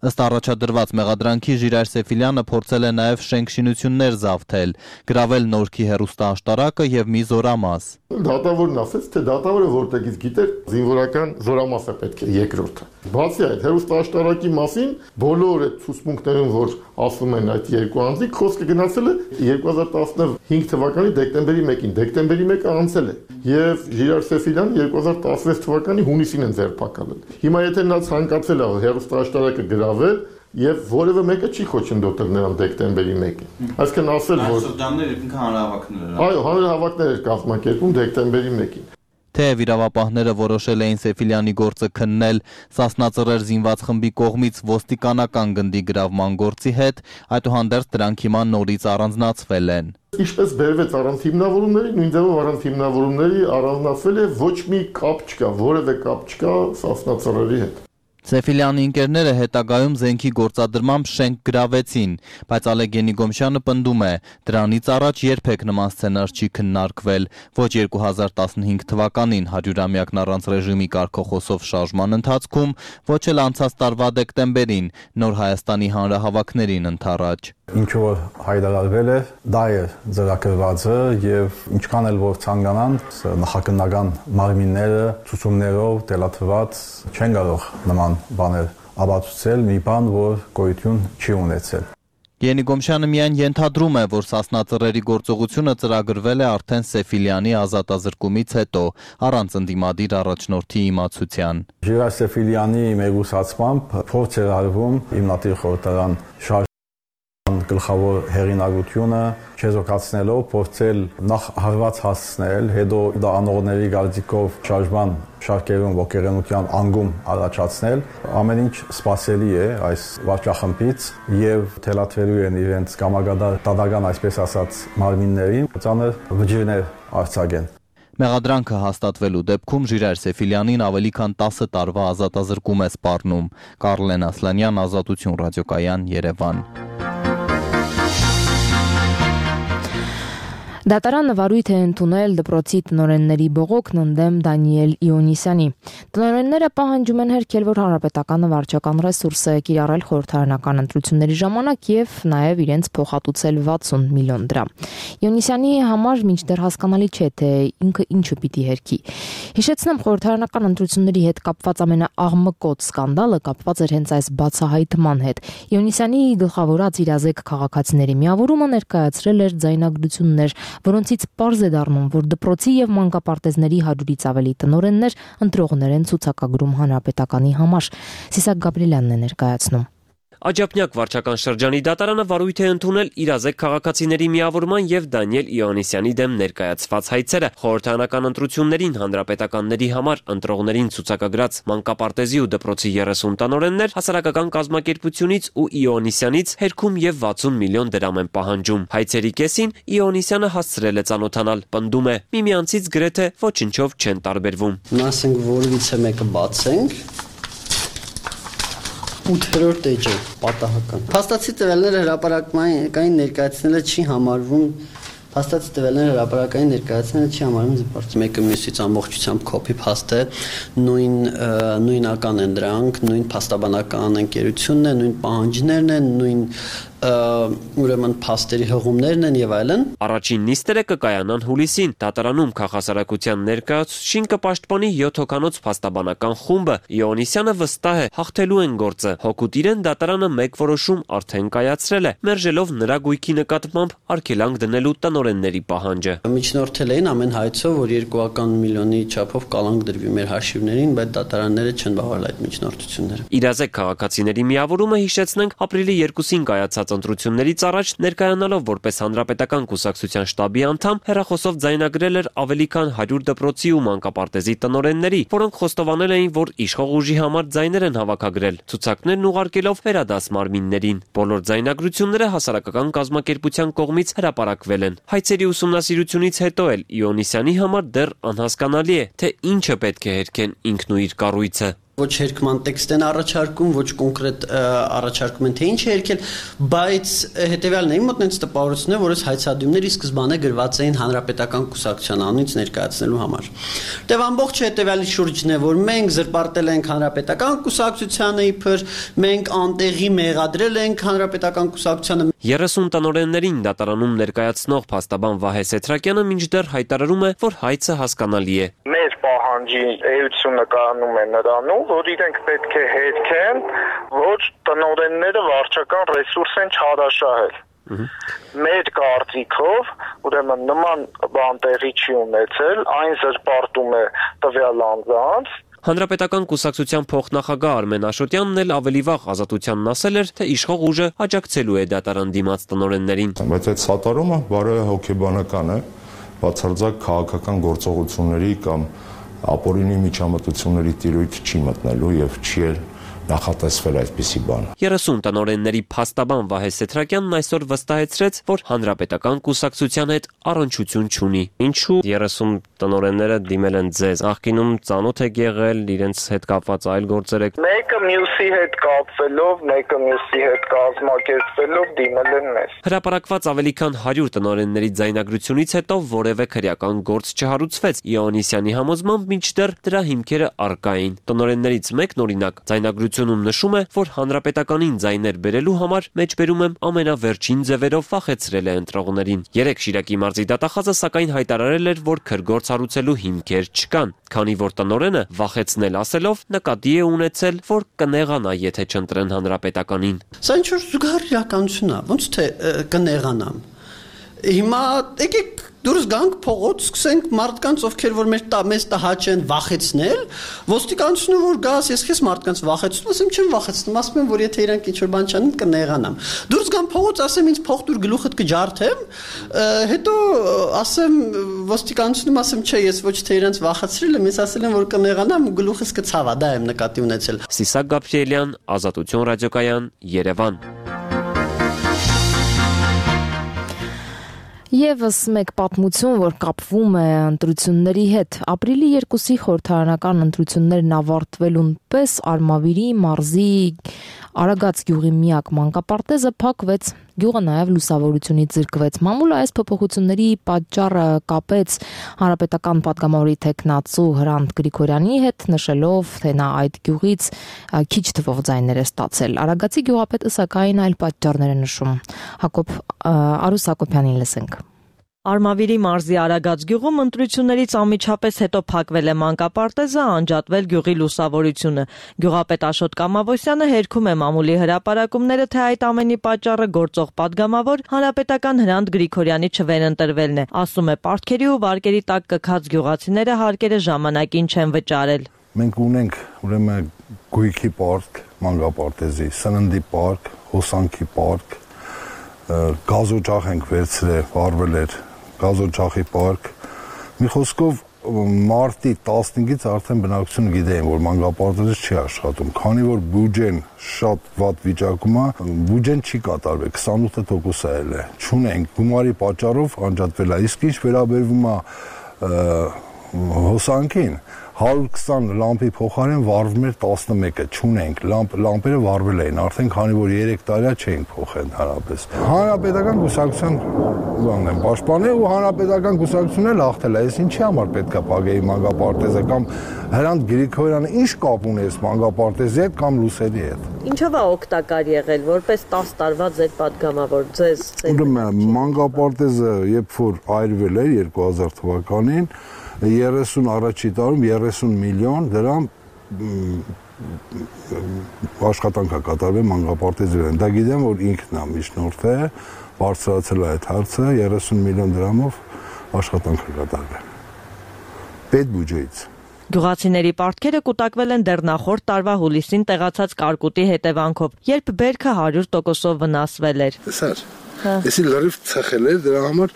Ըստ առաջադրված մեղադրանքի Ժիրայր Սեֆիլյանը փորձել է նաև շենքշինություններ զավթել, գրավել Նորքի հեռուստաաշտարակը եւ մի զորամաս։ Դատավորն ասաց, թե դատավորը որտեղից գիտեր զինվորական զորամասը պետք է երկրորդը։ Բացի այդ, հեռուստաաշտարակի մասին բոլոր այդ ցուցմունքներում, որ ասում են այդ երկու անձիկ, խոսքը գնացել է 2015 թվականի դեկտեմբերի 1-ին։ Դեկտեմբերի 1-ը անցել է եւ Ժիրայր Սեֆիլյանը 2016 թվականի հունիսին են ձերբակալել։ Հիմա եթե նա ցանկացել է հեռուստաաշտարակը գրավել եւ որևէ մեկը չի խոչընդոտել նրան դեկտեմբերի 1-ին։ Այսինքն ասել, որ շրջանները ինքն հանրահավաքներ էր։ Այո, հանրահավաքներ էր կազմակերպում դեկտեմբերի 1-ին։ Թեև իրավապահները որոշել էին Սեֆիլյանի գործը քննել Սասնա-Ծռեր զինված խմբի կողմից ոստիկանական գնդի գրավման գործի հետ, այդուհանդերձ դրանք հիմա նորից առանձնացվել են։ Ինչպես բերվեց առանց հիմնավորումների, նույն ձևով առանց հիմնավորումների առանձնացվել է, ոչ մի կապ չկա, որևէ կապ չկա Սասնա-Ծռերի հետ։ Սեֆիլյանի ընկերները հետագայում զենքի գործադրմամբ շենք գրավեցին, բայց Ալեգենի Գոմշյանը պնդում է, դրանից առաջ երբեք նման սցենար չի քննարկվել, ոչ 2015 թվականին 100-ամյակն առանց ռեժիմի կարգախոսով շարժման ընթացքում, ոչ էլ անցած տարվա դեկտեմբերին Նոր Հայաստանի հանրահավաքներին ընթառաջ։ Ինչ որ հայտարարվել է, դա է ծրագրվածը եւ ինչքան էլ որ ցանկանան նախաքննական մարմինները ցուցումներով դելաթված չեն կարող նման բաներ ապացուցել մի բան, որ գոյություն չի ունեցել։ Գենի Գոմշյանը միայն ենթադրում է, որ Սասնա-Ծռերի գործողությունը ծրագրվել է արդեն Սեֆիլյանի ազատազրկումից հետո, առանց ընդդիմադիր առաջնորդի իմացության։ Ժիրայր Սեֆիլյանի մեկուսացմամբ փորձ էր արվում հիմնադիր խորհրդարան գլխավոր հեղինակությունը չեզոքացնելով փորձել նախ հարված հասցնել, հետո դա անողների գալցիկով շարժման շարքերում ոգեղենության անգում առաջացնել, ամեն ինչ սпасելի է այս վարչախմբից եւ թելաթվելու են իրենց կամագադար դատական, այսպես ասած, մարմիններին, ծանր վճիրներ արձակեն։ Մեղադրանքը հաստատվելու դեպքում Ժիրայր Սեֆիլյանին ավելի քան 10 տարվա ազատազրկում է սպառնում։ Կարլեն Ասլանյան, Ազատություն ռադիոկայան, Երևան։ Դատարանը վարույթ է ընդունել դպրոցի տնօրենների բողոքն ընդդեմ Դանիել Իոնիսյանի։ Տնօրենները պահանջում են հերքել, որ հանրապետականը վարչական ռեսուրս է կիրառել խորհրդարանական ընտրությունների ժամանակ եւ նաեւ իրենց փոխհատուցել 60 միլիոն դրամ։ Իոնիսյանի համար մինչդեռ հասկանալի չէ, թե ինքը ինչը պիտի հերքի։ Հիշեցնեմ, խորհրդարանական ընտրությունների հետ կապված ամենաաղմկոտ սկանդալը կապված էր հենց այս բացահայտման հետ։ Իոնիսյանի գլխավորած իրազեկ քաղաքացիների միավորումը ներկայացրել էր ձայնագրություններ, որոնցից պարզ է դառնում, որ դպրոցի եւ մանկապարտեզների 100-ից ավելի տնօրեններ ընտրողներ են ցուցակագրում հանրապետականի համար։ Սիսակ Գաբրիելյանն է ներկայացնում։ Աջափնյակ վարչական շրջանի դատարանը վարույթ է ընդունել իրազեկ քաղաքացիների միավորման եւ Դանիել Իոաննիսյանի դեմ ներկայացված հայցերը։ Խորհրդարանական ընտրություններին հանրապետականների համար ընտրողներին ցուցակագրած մանկապարտեզի ու դպրոցի 30 տնօրեններ հասարակական կազմակերպությունից ու Իոաննիսյանից հերքում եւ 60 միլիոն դրամ են պահանջում։ Հայցերի կեսին Իոաննիսյանը հասցրել է ծանոթանալ, պնդում է, միմյանցից գրեթե ոչնչով չեն տարբերվում։ Ասենք որևիցե մեկը բացենք 8-րդ էջը պատահական։ Փաստացի տվյալները հրապարակային ներկայացնելը չի համարվում Փաստացի տվյալները հրապարակային ներկայացնելը չի համարվում զիպարծ։ Մեկը մյուսից ամբողջությամբ կոպի փաստ է, նույնական են դրանք, նույն փաստաբանական ընկերությունն է, նույն պահանջներն են, նույն ուրեմն փաստերի հղումներն են եւ այլն։ Առաջին նիստերը կկայանան հուլիսին։ Դատարանում քաղաքասարակության ներկայացուցիչին կպաշտպանի 7 հոգանոց փաստաբանական խումբը։ Իոաննիսյանը վստահ է, հաղթելու են գործը։ Հոգուտ իրեն դատարանը մեկ որոշում արդեն կայացրել է, մերժելով նրա գույքի նկատմամբ արգելանք դնելու տնօրենների պահանջը։ Միջնորդել էին ամեն հայցով, որ 2 միլիոնի չափով կալանք դրվի մեր հաշիվներին, բայց դատարանները չեն բավարարել այդ միջնորդությունները։ Իրազեկ քաղաքացիների միավորումը, հիշեցնենք, ապրիլի 2-ին կայացած ընտրություններից առաջ ներկայանալով որպես հանրապետական կուսակցության շտաբի անդամ հեռախոսով ձայնագրել էր ավելի քան 100 դպրոցի ու մանկապարտեզի տնօրենների, որոնք խոստովանել էին, որ իշխող ուժի համար ձայներ են հավաքագրել, ցուցակներն ուղարկելով վերադաս մարմիններին։ Բոլոր ձայնագրությունները հասարակական կազմակերպության կողմից հրապարակվել են։ Հայցերի ուսումնասիրությունից հետո էլ Իոաննիսյանի համար դեռ անհասկանալի է, թե ինչը պետք է հերքեն ինքն ու իր կառույցը։ Ոչ հերքման տեքստ են առաջարկում, ոչ կոնկրետ առաջարկում են, թե ինչ է հերքել, բայց հետևյալն է, իմ մոտ նենց տպավորությունն է, որ այս հայցադիմները ի սկզբանե գրված էին հանրապետական կուսակցության անունից ներկայացնելու համար։ Դե ամբողջ հետևյալի շուրջն է, որ մենք զրպարտել ենք հանրապետական կուսակցությանը իբր, մենք անտեղի մեղադրել ենք հանրապետական կուսակցությանը։ 30 տնօրեններին դատարանում ներկայացնող փաստաբան Վահե Սեթրակյանը մինչդեռ հայտարարում է, որ հայցը հասկանալի է։ Մեր պահանջի էությունը կանում է նրանում, որ իրենք պետք է հերքեն, որ տնօրենները վարչական ռեսուրս են չարաշահել։ Մեր կարծիքով, ուրեմն նման բան տեղի չի ունեցել, այն զրպարտում է տվյալ անձանց։ Հանրապետական կուսակցության փոխնախագահ Արմեն Աշոտյանն էլ ավելի վաղ Ազատությանն ասել էր, թե իշխող ուժը աջակցելու է դատարան դիմաց տնօրեններին։ Բայց այդ սատարումը բարոյ հոգեբանական է, բացարձակ քաղաքական գործողությունների կամ ապօրինի միջամտությունների տիրույթ չի մտնելու եւ չի էլ նախատեսվել այսպիսի բան։ 30 տնօրենների փաստաբան Վահե Սեթրակյանն այսօր վստահեցրեց, որ հանրապետական կուսակցության հետ առնչություն չունի։ Ինչու 30 տնօրենները դիմել են ձեզ։ Նախկինում ծանոթ եք եղել, իրենց հետ կապված այլ գործեր եք։ Մեկը մյուսի հետ կապվելով, մեկը մյուսի հետ կազմակերպվելով դիմել են մեզ։ Հրապարակված ավելի քան 100 տնօրենների ձայնագրությունից հետո որևէ քրեական գործ չհարուցվեց։ Իոաննիսյանի համոզմամբ մինչդեռ դրա հիմքերը առկա էին։ Տնօրեններից մեկն օրինակ ձայնագրությունում նշում է, որ հանրապետականին ձայներ բերելու համար մեջբերում եմ ամենավերջին ձևերով վախեցրել է ընտրողներին։ 3 Շիրակի մարզի դատախազը սակայն հայտարարել էր, որ քրգործ հարուցելու հիմքեր չկան, քանի որ տնօրենը վախեցնել ասելով նկատի է ունեցել, որ կնեղանա, եթե չընտրեն հանրապետականին։ Սա ինչ որ զուգահեռ իրականություն է, ոնց թե կնեղանամ։ Հիմա եկեք դուրս գանք փողոց, սկսենք մարդկանց, ովքեր որ մեզ տհաճ են, վախեցնել, ոստիկանությունը որ գաս, ես քեզ մարդկանց վախեցնում, ասեմ չեմ վախեցնում, ասում եմ, որ եթե իրանք ինչ որ բան չանեն, կնեղանամ։ Դուրս գամ փողոց, ասեմ ինձ փող տուր գլուխդ կջարդեմ, հետո ասեմ ոստիկանությունում, ասեմ չէ, ես ոչ թե իրանց վախեցրել եմ, ես ասել եմ, որ կնեղանամ ու գլուխս կցավա, դա եմ նկատի ունեցել։ Սիսակ Գաբրիելյան, Ազատություն ռադիոկայան, Երևան։ Եվս մեկ պատմություն, որ կապվում է ընտրությունների հետ։ Ապրիլի 2-ի խորհրդարանական ընտրություններն ավարտվելուն պես Արմավիրի մարզի Արագած գյուղի միակ մանկապարտեզը փակվեց, գյուղը նաև լուսավորությունից զրկվեց։ Մամուլը այս փոփոխությունների պատճառը կապեց հանրապետական պատգամավորի տեխնացու Հրանտ Գրիգորյանի հետ, նշելով, թե նա այդ գյուղից քիչ թվով ձայներ է ստացել։ Արագածի գյուղապետը սակայն այլ պատճառներ է նշում։ Արուս Հակոբյանին լսենք։ Արմավիրի մարզի Արագած գյուղում ընտրություններից անմիջապես հետո փակվել է մանկապարտեզը, անջատվել գյուղի լուսավորությունը։ Գյուղապետ Աշոտ Կամավոսյանը հերքում է մամուլի հրապարակումները, թե այդ ամենի պատճառը գործող падգամավոր հանրապետական Հրանտ Գրիգորյանի չվերընտրվելն է։ Ասում է, պարտքերի ու վարկերի տակ կքած գյուղացիները հարկերը ժամանակին չեն վճարել։ Մենք ունենք ուրեմն գույքի պարտք, մանկապարտեզի, սննդի պարկ, հոսանքի պարկ, գազօջախ ենք վերցրել, վարվել էր գազօջախի պարկ։ Մի խոսքով մարտի 15-ից արդեն բնակչությունը գիտեն, որ մանկապարտեզը չի աշխատում, քանի որ բյուջեն շատ վատ վիճակում է, բյուջեն չի կատարվել, 28% ել է, չունենք, գումարի պատճառով անջատվել է, իսկ ինչ վերաբերվում է հոսանքին, 120 լամպի փոխարեն վառվում էր 11-ը, չունենք, լամպերը վառվել էին, արդեն քանի որ 3 տարի չէին փոխել հանրապես։ Հանրապետական կուսակցության բանն են պաշտպանել ու հանրապետական կուսակցությունն էլ հաղթել է, այս ինչի համար պետք է փակեի մանկապարտեզը կամ Հրանտ Գրիգորյանը ինչ կապ ունի այս մանկապարտեզի հետ կամ լուսերի հետ։ Ինչով է օգտակար եղել, որպես 10 տարվա ձեր падգամավոր ձեզ։ Ուրեմն մանկապարտեզը երբ որ այրվել էր 2000 թվականին 30 առաջի տարում 30 միլիոն դրամ աշխատանք է կատարվել մանկապարտեզի վրա։ Դա գիտեմ, որ ինքն է միջնորդել, բարձրացել է այդ հարցը 30 միլիոն դրամով աշխատանք է կատարվել։ Պետ բյուջեից։ Գյուղացիների պարտքերը կուտակվել են դեռ նախորդ տարվա հուլիսին տեղացած կարկուտի հետևանքով, երբ բերքը 100%-ով վնասվել էր։ Սար, էսի լրիվ ցխել էր, դրա համար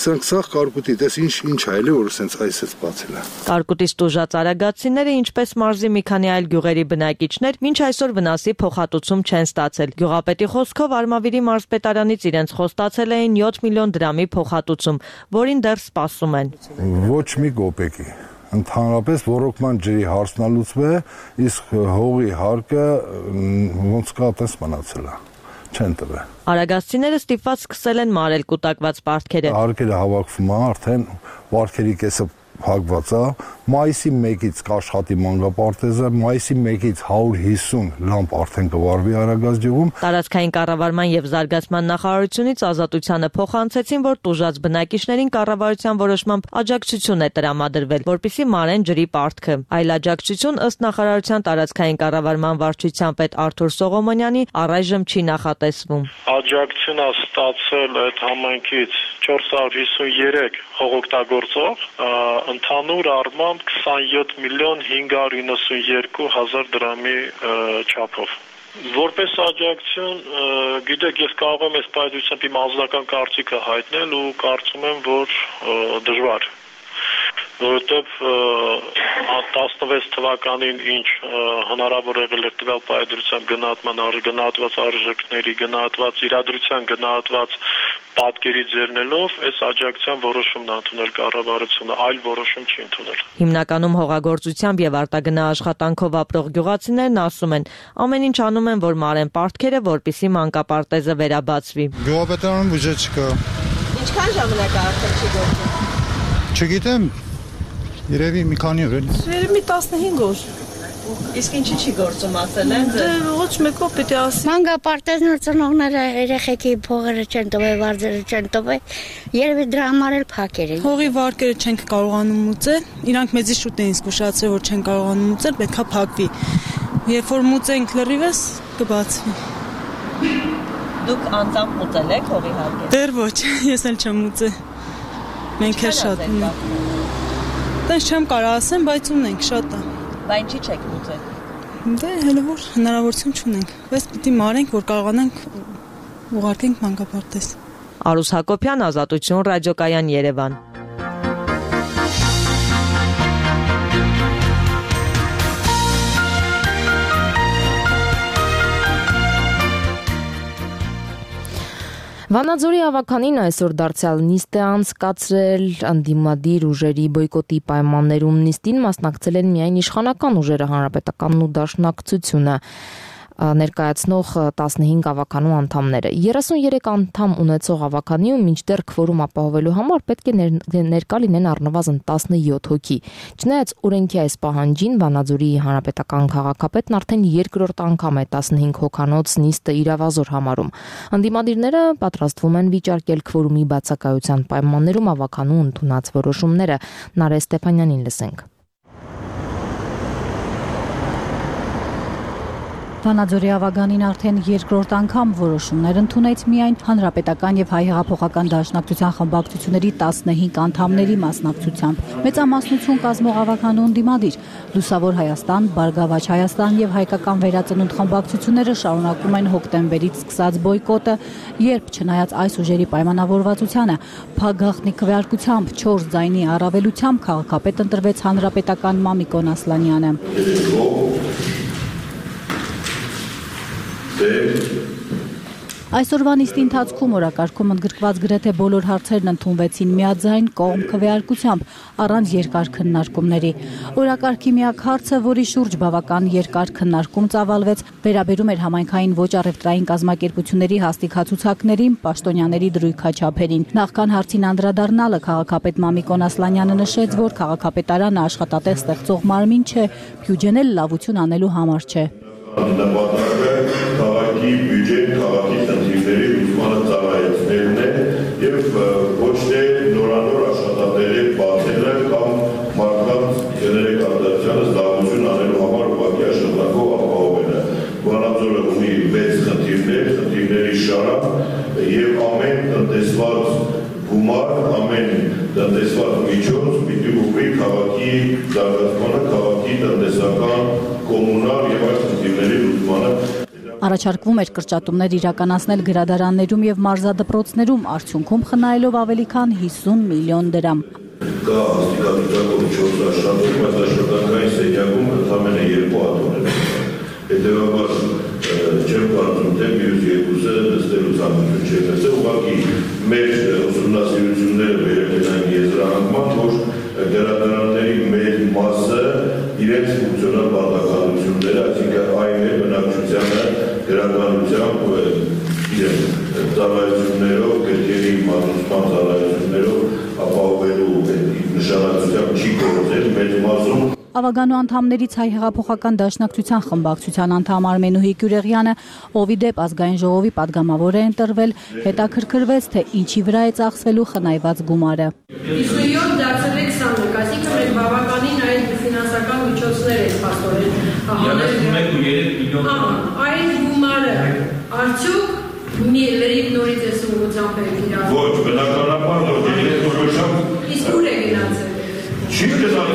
սրանք սաղ կարկուտի, տես ինչ այլ է, որ սենց այսպես բացել է։ Կարկուտից տուժած արագացիները, ինչպես մարզի մի քանի այլ գյուղերի բնակիչներ, մինչ այսօր վնասի փոխհատուցում չեն ստացել։ Գյուղապետի խոսքով Արմավիրի մարզպետարանից իրենց խոստացել էին 7 միլիոն դրամի փոխհատուցում, որին դեռ սպասում են։ Ոչ մի կոպեկի։ Ընդհանրապես ռոռոկման ջրի հարցն է լուծվել, իսկ հողի հարկը ոնց կա այդպես մնացել է։ Չեն տվել։ Արագացիները ստիպված սկսել են մարել կուտակված պարտքերը։ Հարկերը հավաքվում է, արդեն պարտքերի կեսը փակված է։ Մայիսի 1-ից կաշխատի մանկապարտեզը, մայիսի 1-ից 150 լամպ արդեն կվարվի Արագած գյուղում։ Տարածքային կառավարման եւ զարգացման նախարարությունից Ազատությանը փոխանցեցին, որ տուժած բնակիչներին կառավարության որոշմամբ աջակցություն է տրամադրվել, որպեսզի մարեն ջրի պարտքը։ Այլ աջակցություն ըստ նախարարության տարածքային կառավարման վարչության պետ Արթուր Սողոմոնյանի առայժմ չի նախատեսվում։ Աջակցություն է ստացել այդ համայնքից 453 հողօգտագործող, ընդհանուր առմամբ 27 միլիոն 592 հազար դրամի չափով։ Որպես աջակցություն, գիտեք, ես կարող եմ այս պայծությամբ իմ անձնական կարծիքը հայտնել ու կարծում եմ, որ դժվար, որովհետև 16 թվականին ինչ հնարավոր եղել էր տվյալ պայծությամբ գնահատված արժեքների, գնահատված իրադրության, գնահատված պատկերի ձեռնելով, այս աջակցության որոշումն ընդունել կառավարությունը, այլ որոշում չի ընդունել։ Հիմնականում հողագործությամբ եւ արտագնա աշխատանքով ապրող գյուղացիներն ասում են, ամեն ինչ անում են, որ մարեն պարտքերը, որպեսզի մանկապարտեզը վերաբացվի։ Գյուղապետարանում բյուջե չկա։ Ինչքան ժամանակ է արդեն չի գործում։ Չգիտեմ, երևի մի քանի օր էլի։ Երևի 15 օր։ Իսկ ինչի չի գործում ասել են։ Դե ոչ մեկով պիտի ասի։ Մանկապարտեզն ծնողները երեխեքի փողերը չեն տվել, վարձերը չեն տվել, երևի դրա համար էլ փակեր են։ Հողի վարկերը չենք կարողանում մուծել, իրանք մեզի շուտ էին զգուշացրել, որ չեն կարողանում մուծել, պետքա փակվի։ Երբ որ մուծենք լրիվս, կբացվի։ Դուք անձամբ մուծել եք հողի հարկերը։ Դեռ ոչ, ես էլ չեմ մուծել։ Մենք էլ շատ ունենք։ Տենց չեմ կարող ասեմ, բայց ունենք շատ է։ Բա ինչի չեք մուծել։ Դե հələ որ հնարավորություն չունենք, բայց պիտի մարենք, որ կարողանանք ուղարկենք մանկապարտեզ։ Արուս Հակոբյան, Ազատություն, ռադիոկայան Երևան։ Վանաձորի ավականին այսօր դարձյալ նիստ է անցկացրել անդիմադիր ուժերի բոյկոտի պայմաններում նիստին մասնակցել են միայն իշխանական ուժերը, հանրապետականն ու դաշնակցությունը ներկայացնող 15 ավականու անդամները։ 33 անդամ ունեցող ավականիում մինչդեռ քվորում ապահովելու համար պետք է ներկա լինեն առնվազն 17 հոգի։ Չնայած օրենքի այս պահանջին Վանաձորի հանրապետական քաղաքապետն արդեն երկրորդ անգամ է 15 հոգանոց նիստը իրավազոր համարում։ Անդիմադիրները պատրաստվում են վիճարկել քվորումի բացակայության պայմաններում ավականու ընդունած որոշումները։ Նարէ Ստեփանյանին լսենք։ Վանաձորի ավագանին արդեն երկրորդ անգամ որոշումներ ընդունեց միայն Հանրապետական եւ Հայ հեղափոխական դաշնակցության խմբակցությունների 15 անդամների մասնակցությամբ։ Մեծամասնություն կազմող ավագանու ընդդիմադիր Լուսավոր Հայաստան, Բարգավաճ Հայաստան եւ Հայկական վերածնունդ խմբակցությունները շարունակում են հոկտեմբերից սկսած բոյկոտը, երբ չնայած այս ուժերի պայմանավորվածությանը փակգաղտնի քվեարկությամբ 4 ձայնի առավելությամբ քաղաքապետ ընտրվեց հանրապետական Մամիկոն Ասլանյանը։ Այսօրվա նիստի ընթացքում օրակարգում ընդգրկված գրեթե բոլոր հարցերն ընդունվեցին միաձայն կողմ քվեարկությամբ առանց երկար քննարկումների։ Օրակարգի միակ հարցը, որի շուրջ բավական երկար քննարկում ծավալվեց, վերաբերում էր համայնքային ոչ առևտրային կազմակերպությունների հաստիքացուցակներին, պաշտոնյաների դրույքաչափերին։ Նախքան հարցին անդրադառնալը քաղաքապետ Մամիկոն Ասլանյանը նշեց, որ քաղաքապետարանը աշխատատեղ ստեղծող մարմին չէ, բյուջեն էլ լավություն անելու համար չէ։ Նպատակը քաղաքի բյուջեն, քաղաքի խնդիրների լուծմանը ծառայեցնելն է եւ ոչ թե նորանոր աշխատատեղեր բացելը կամ մարդկանց գներեք արտադրությանը զբաղություն անելու համար ուղղակի աշխատանքով ապահովելը։ Վանաձորը ունի 6 խնդիրներ, խնդիրների շարք եւ ամեն տնտեսված գումար, ամեն տնտեսված միջոց պիտի ուղղի քաղաքի զարգացմանը, քաղաքի տնտեսական, կոմունալ եւ այլ խնդիրների լուծմանը։ Առաջարկվում էր կրճատումներ իրականացնել գրադարաններում եւ մարզադպրոցներում, արդյունքում խնայելով ավելի քան 50 միլիոն դրամ։ Կա հաստիկացուցակով 4 աշխատող, բայց աշխատանքային սենյակում ընդամենը 2 ատոմներ են։ Հետևաբար չեմ կարծում, թե մյուս երկուսը նստելու ցանկություն չէ, բայց ուղղակի մեր ուսումնասիրությունները վերել են եզրահանգման, որ գրադարանների մեր մասը իրենց ֆունկցիոնալ բացակայությունները, այսինքն այն է բնակչությանը գրականությամբ իրենց ծառայություններով, գրքերի մատուցման ծառայություններով ապահովելու նշանակությամբ չի գործել մեր մասում։ Ավագանու անդամներից Հայ հեղափոխական դաշնակցության խմբակցության անդամ Արմենուհի Գյուրեղյանը, ով ի դեպ ազգային ժողովի падգամավոր է ընտրվել, հետաքրքրվեց, թե ինչի վրա է ծախսվելու խնայված գումարը։ 57 դարձել է 21, այսինքն մենք բավականին այն ֆինանսական միջոցներ են փաստորեն այն գումարը արդյոք լրիվ նորից է սուրությամբ է իրար։ Ոչ, բնականաբար ոչ, որոշակ։ Իսկ ուր է գնացել։ Չի գնացել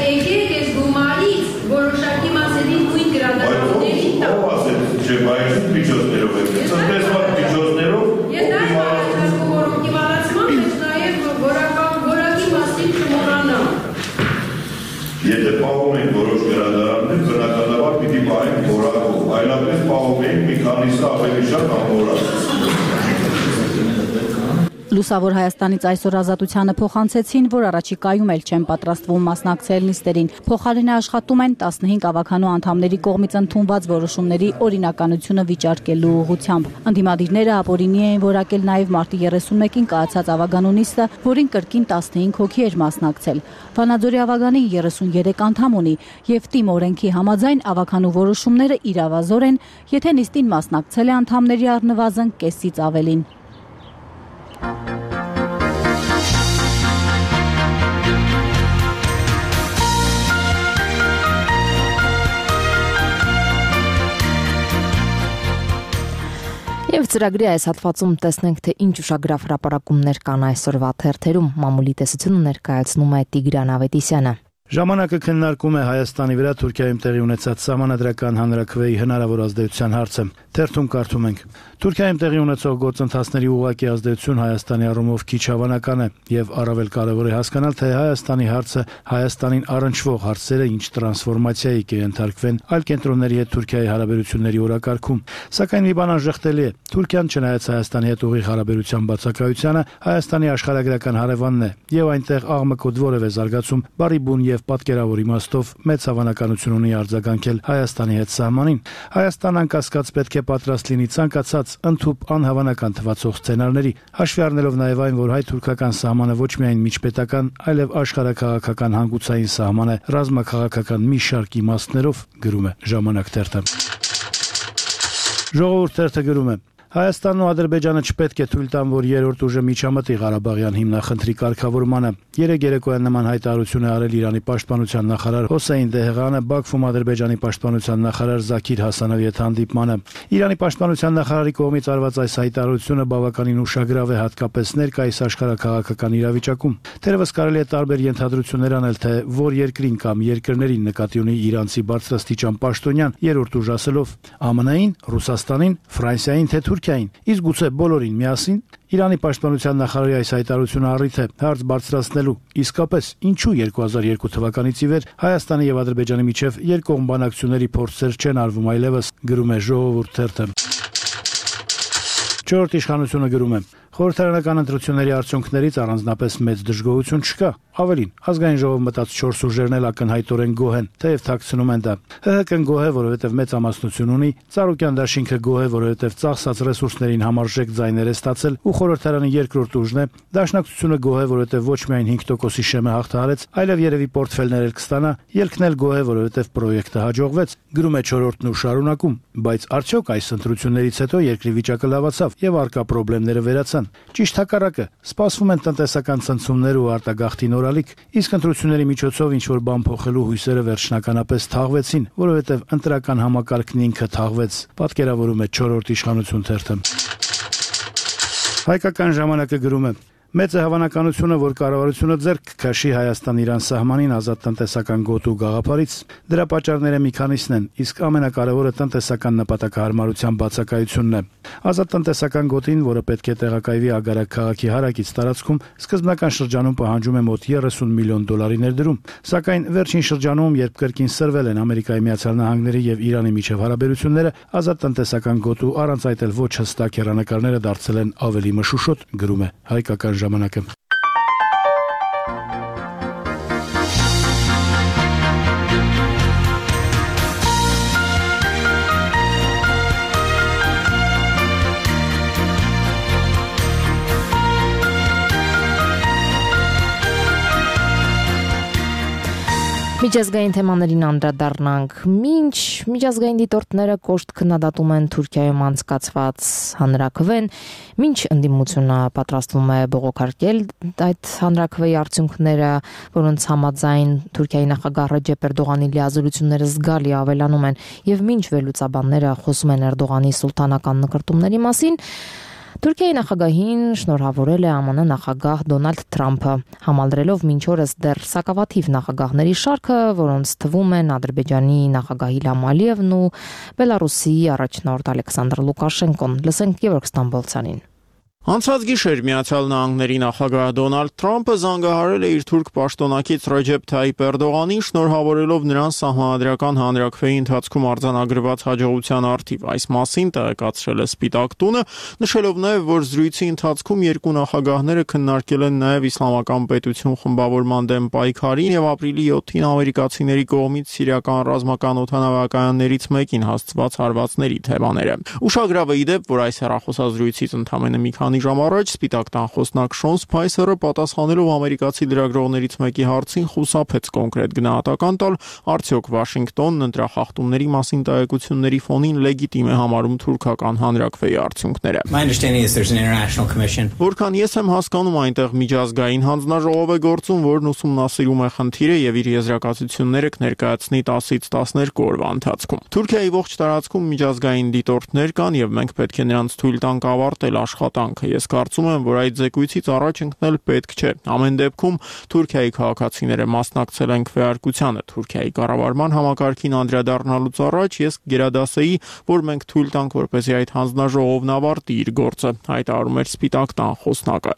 եկեք ես գումարից որոշակի մասերի նույն գրադարանների տակ։ Ո՞վ ասեց, չէ, բայց միջոցներով է։ Տնտեսական միջոցներով ես դա ասում որ օպտիմալացման մեջ նաև որակի մասին չմոռանամ։ Եթե պահում ենք որոշ գրադարաններ, բնականաբար պիտի պահենք որակով, այլապես պահում ենք մի քանիսը ավելի շատ անորակ։ Լուսավոր Հայաստանից այսօր Ազատությանը փոխանցեցին, որ առաջիկայում էլ չեն պատրաստվում մասնակցել նիստերին։ Փոխարենը աշխատում են 15 ավագանու անդամների կողմից ընդունված որոշումների օրինականությունը վիճարկելու ուղղությամբ։ Ընդդիմադիրները ապօրինի էին որակել նաև մարտի 31-ին կայացած ավագանու նիստը, որին կրկին 15 հոգի էր մասնակցել։ Վանաձորի ավագանի 33 անդամ ունի եւ ՏԻՄ օրենքի համաձայն ավագանու որոշումները իրավազոր են, եթե նիստին մասնակցել է անդամների առնվազն կեսից ավելին։ Եվ ծրագրի այս հատվածում տեսնենք, թե ինչ ուշագրավ հրապարակումներ կան այսօրվա թերթերում։ Մամուլի տեսությունը ներկայացնում է Տիգրան Ավետիսյանը։ Ժամանակը քննարկում է Հայաստանի վրա Թուրքիայում տեղի ունեցած սահմանադրական հանրաքվեի հնարավոր ազդեցության հարցը։ Թերթում կարդում ենք. Թուրքիայում տեղի ունեցող գործընթացների ուղղակի ազդեցություն Հայաստանի առումով քիչ հավանական է եւ առավել կարեւոր է հասկանալ, թե Հայաստանի հարցը Հայաստանին առնչվող հարցերը ինչ տրանսֆորմացիայի կենթարկվեն այլ կենտրոնների հետ Թուրքիայի հարաբերությունների օրակարգում։ Սակայն մի բան անժխտելի է. Թուրքիան չնայած Հայաստանի հետ ուղիղ հարաբերության բացակայությանը, Հայաստանի աշխարհագրական հարևանն է եւ այնտեղ աղմկոտ որևէ զարգացում բարի բուն եւ պատկերավոր իմաստով մեծ հավանականություն ունի արձագանքել Հայաստանի հետ սահմանին։ Հայաստանն անկասկած պետք է պատրաստ լինի ցանկացած ընդհուպ անհավանական թվացող սցենարների, հաշվի առնելով նաև այն, որ հայ-թուրքական սահմանը ոչ միայն միջպետական, այլև աշխարհաքաղաքական հանգուցային սահման է ռազմաքաղաքական մի շարք իմաստներով, գրում է Ժամանակ թերթը։ Ժողովուրդ թերթը գրում է. Հայաստանն ու Ադրբեջանը չպետք է թույլ տան, որ երրորդ ուժը միջամտի Ղարաբաղյան հիմնախնդրի կարգավորմանը։ Երեկ երեկոյան նման հայտարարություն է արել Իրանի պաշտպանության նախարար Հոսեյն Դեհղանը Բաքվում Ադրբեջանի պաշտպանության նախարար Զաքիր Հասանովի հետ հանդիպմանը։ Իրանի պաշտպանության նախարարի կողմից արված այս հայտարարությունը բավականին ուշագրավ է, հատկապես ներկայիս աշխարհաքաղաքական իրավիճակում։ Թերևս կարելի է տարբեր ենթադրություններ անել, թե որ երկրին կամ երկրներին նկատի ունի իրանցի բարձրաստիճան պաշտոնյան երրորդ ուժ ասելով ԱՄՆ-ին, Ռուսաստանին, Ֆրանսիային, թե Թուրքիային, իսկ գուցե բոլորին միասին։ Իրանի պաշտպանության նախարարի այս հայտարարությունը առիթ է հարց բարձրացնելու իսկապես ինչու 2002 թվականից ի վեր Հայաստանի եւ Ադրբեջանի միջև երկկողմ բանակցությունների փորձեր չեն արվում այլևս, գրում է Ժողովուրդ թերթը։ Չորրորդ իշխանությունը գրում է. Խորհրդարանական ընտրությունների արդյունքներից առանձնապես մեծ դժգոհություն չկա։ Ավելին, ազգային ժողով մտած 4 ուժերն էլ ակնհայտորեն գոհ են, թեև թաքցնում են դա։ ՀՀԿ-ն գոհ է, որովհետև մեծ ամասնություն ունի, Ծառուկյան դաշինքը գոհ է, որովհետև ծախսած ռեսուրսներին համարժեք ձայներ է ստացել, ու խորհրդարանի երկրորդ ուժն է, Դաշնակցությունը գոհ է, որովհետև ոչ միայն 5%-ի շեմը հաղթահարեց, այլև երևի պորտֆելներ էլ կստանա, ԵԼՔ-ն էլ գոհ է, որովհետև պրոյեկտը հաջողվեց, գրում է Չորրորդն ու շարունակում, բայց արդյոք այս ընտրություններից հետո երկրի վիճակը լավացավ եւ արկա խնդիրները վերացան։ Ճիշտ հակառակը, սպասվում են տնտեսական ցնցումներ ու արտագաղթի նորալիք, իսկ ընտրությունների միջոցով ինչ-որ բան փոխելու հույսերը վերջնականապես թաղվեցին, որովհետև ընտրական համակարգն ինքը թաղվեց, պատկերավորում է Չորրորդ իշխանություն թերթը։ Հայկական ժամանակը գրում է. Մեծ է հավանականությունը, որ կառավարությունը ձեռք կքաշի Հայաստան-Իրան սահմանին ազատ տնտեսական գոտու գաղափարից։ Դրա պատճառները մի քանիսն են, իսկ ամենակարևորը տնտեսական նպատակահարմարության բացակայությունն է։ Ազատ տնտեսական գոտին, որը պետք է տեղակայվի Ագարակ քաղաքի հարակից տարածքում, սկզբնական շրջանում պահանջում է մոտ 30 միլիոն դոլարի ներդրում, սակայն վերջին շրջանում, երբ կրկին սրվել են Ամերիկայի Միացյալ Նահանգների եւ Իրանի միջև հարաբերությունները, ազատ տնտեսական գոտու առանց այդ էլ ոչ հստակ հեռանկարները դարձել են ավելի մշուշոտ, գրում է Հայկական ժամանակը։ Միջազգային թեմաներին անդրադառնանք։ Մինչ միջազգային դիտորդները կոշտ քննադատում են Թուրքիայում անցկացված հանրաքվեն, մինչ ընդդիմությունը պատրաստվում է բողոքարկել այդ հանրաքվեի արդյունքները, որոնց համաձայն Թուրքիայի նախագահ Ռեջեփ Էրդողանի լիազորությունները զգալի ավելանում են, եւ մինչ վերլուծաբանները խոսում են Էրդողանի սուլտանական նկրտումների մասին, Թուրքիայի նախագահին շնորհավորել է ԱՄՆ նախագահ Դոնալդ Թրամփը, համալրելով մինչ օրս դեռ սակավաթիվ նախագահների շարքը, որոնց թվում են Ադրբեջանի նախագահ Իլհամ Ալիևն ու Բելարուսի առաջնորդ Ալեքսանդր Լուկաշենկոն։ Լսենք Գևորգ Ստամբոլցյանին։ Անցած գիշեր Միացյալ Նահանգների նախագահ Դոնալդ Թրամփը զանգահարել է իր թուրք պաշտոնակից Ռեջեփ Թայիփ Էրդողանին, շնորհավորելով նրան սահմանադրական հանրաքվեի ընթացքում արձանագրված հաջողության առթիվ։ Այս մասին տեղեկացրել է Սպիտակ տունը, նշելով նաև, որ զրույցի ընթացքում երկու նախագահները քննարկել են նաև իսլամական պետություն խմբավորման դեմ պայքարին եւ ապրիլի 7-ին ամերիկացիների կողմից սիրիական ռազմական օդանավակայաններից մեկին հասցված հարվածների թեմաները։ Ուշագրավ է ի դեպ, որ այս հեռախոսազրույցից ընդամենը մի քանի ժամ առաջ Սպիտակ տան խոսնակ Շոն Սփայսերը պատասխանելով ամերիկացի լրագրողներից մեկի հարցին խուսափեց կոնկրետ գնահատական տալ, արդյոք Վաշինգտոնն ընտրախախտումների մասին տեղեկությունների ֆոնին լեգիտիմ է համարում թուրքական հանրաքվեի արդյունքները։ Որքան ես եմ հասկանում, այնտեղ միջազգային հանձնաժողով է գործում, որն ուսումնասիրում է խնդիրը եւ իր եզրակացությունները կներկայացնի 10-ից 12 օրվա ընթացքում։ Թուրքիայի ողջ տարածքում միջազգային դիտորդներ կան եւ մենք պետք է նրանց թույլ տանք ավարտել աշխատանքը։ Ես կարծում եմ, որ այդ զեկույցից առաջ ընկնել պետք չէ։ Ամեն դեպքում Թուրքիայի քաղաքացիները մասնակցել են քվեարկությանը։ Թուրքիայի կառավարման համակարգին անդրադառնալուց առաջ ես գերադասեի, որ մենք թույլ տանք, որպեսզի այդ հանձնաժողովն ավարտի իր գործը, հայտարարում էր Սպիտակ տան խոսնակը։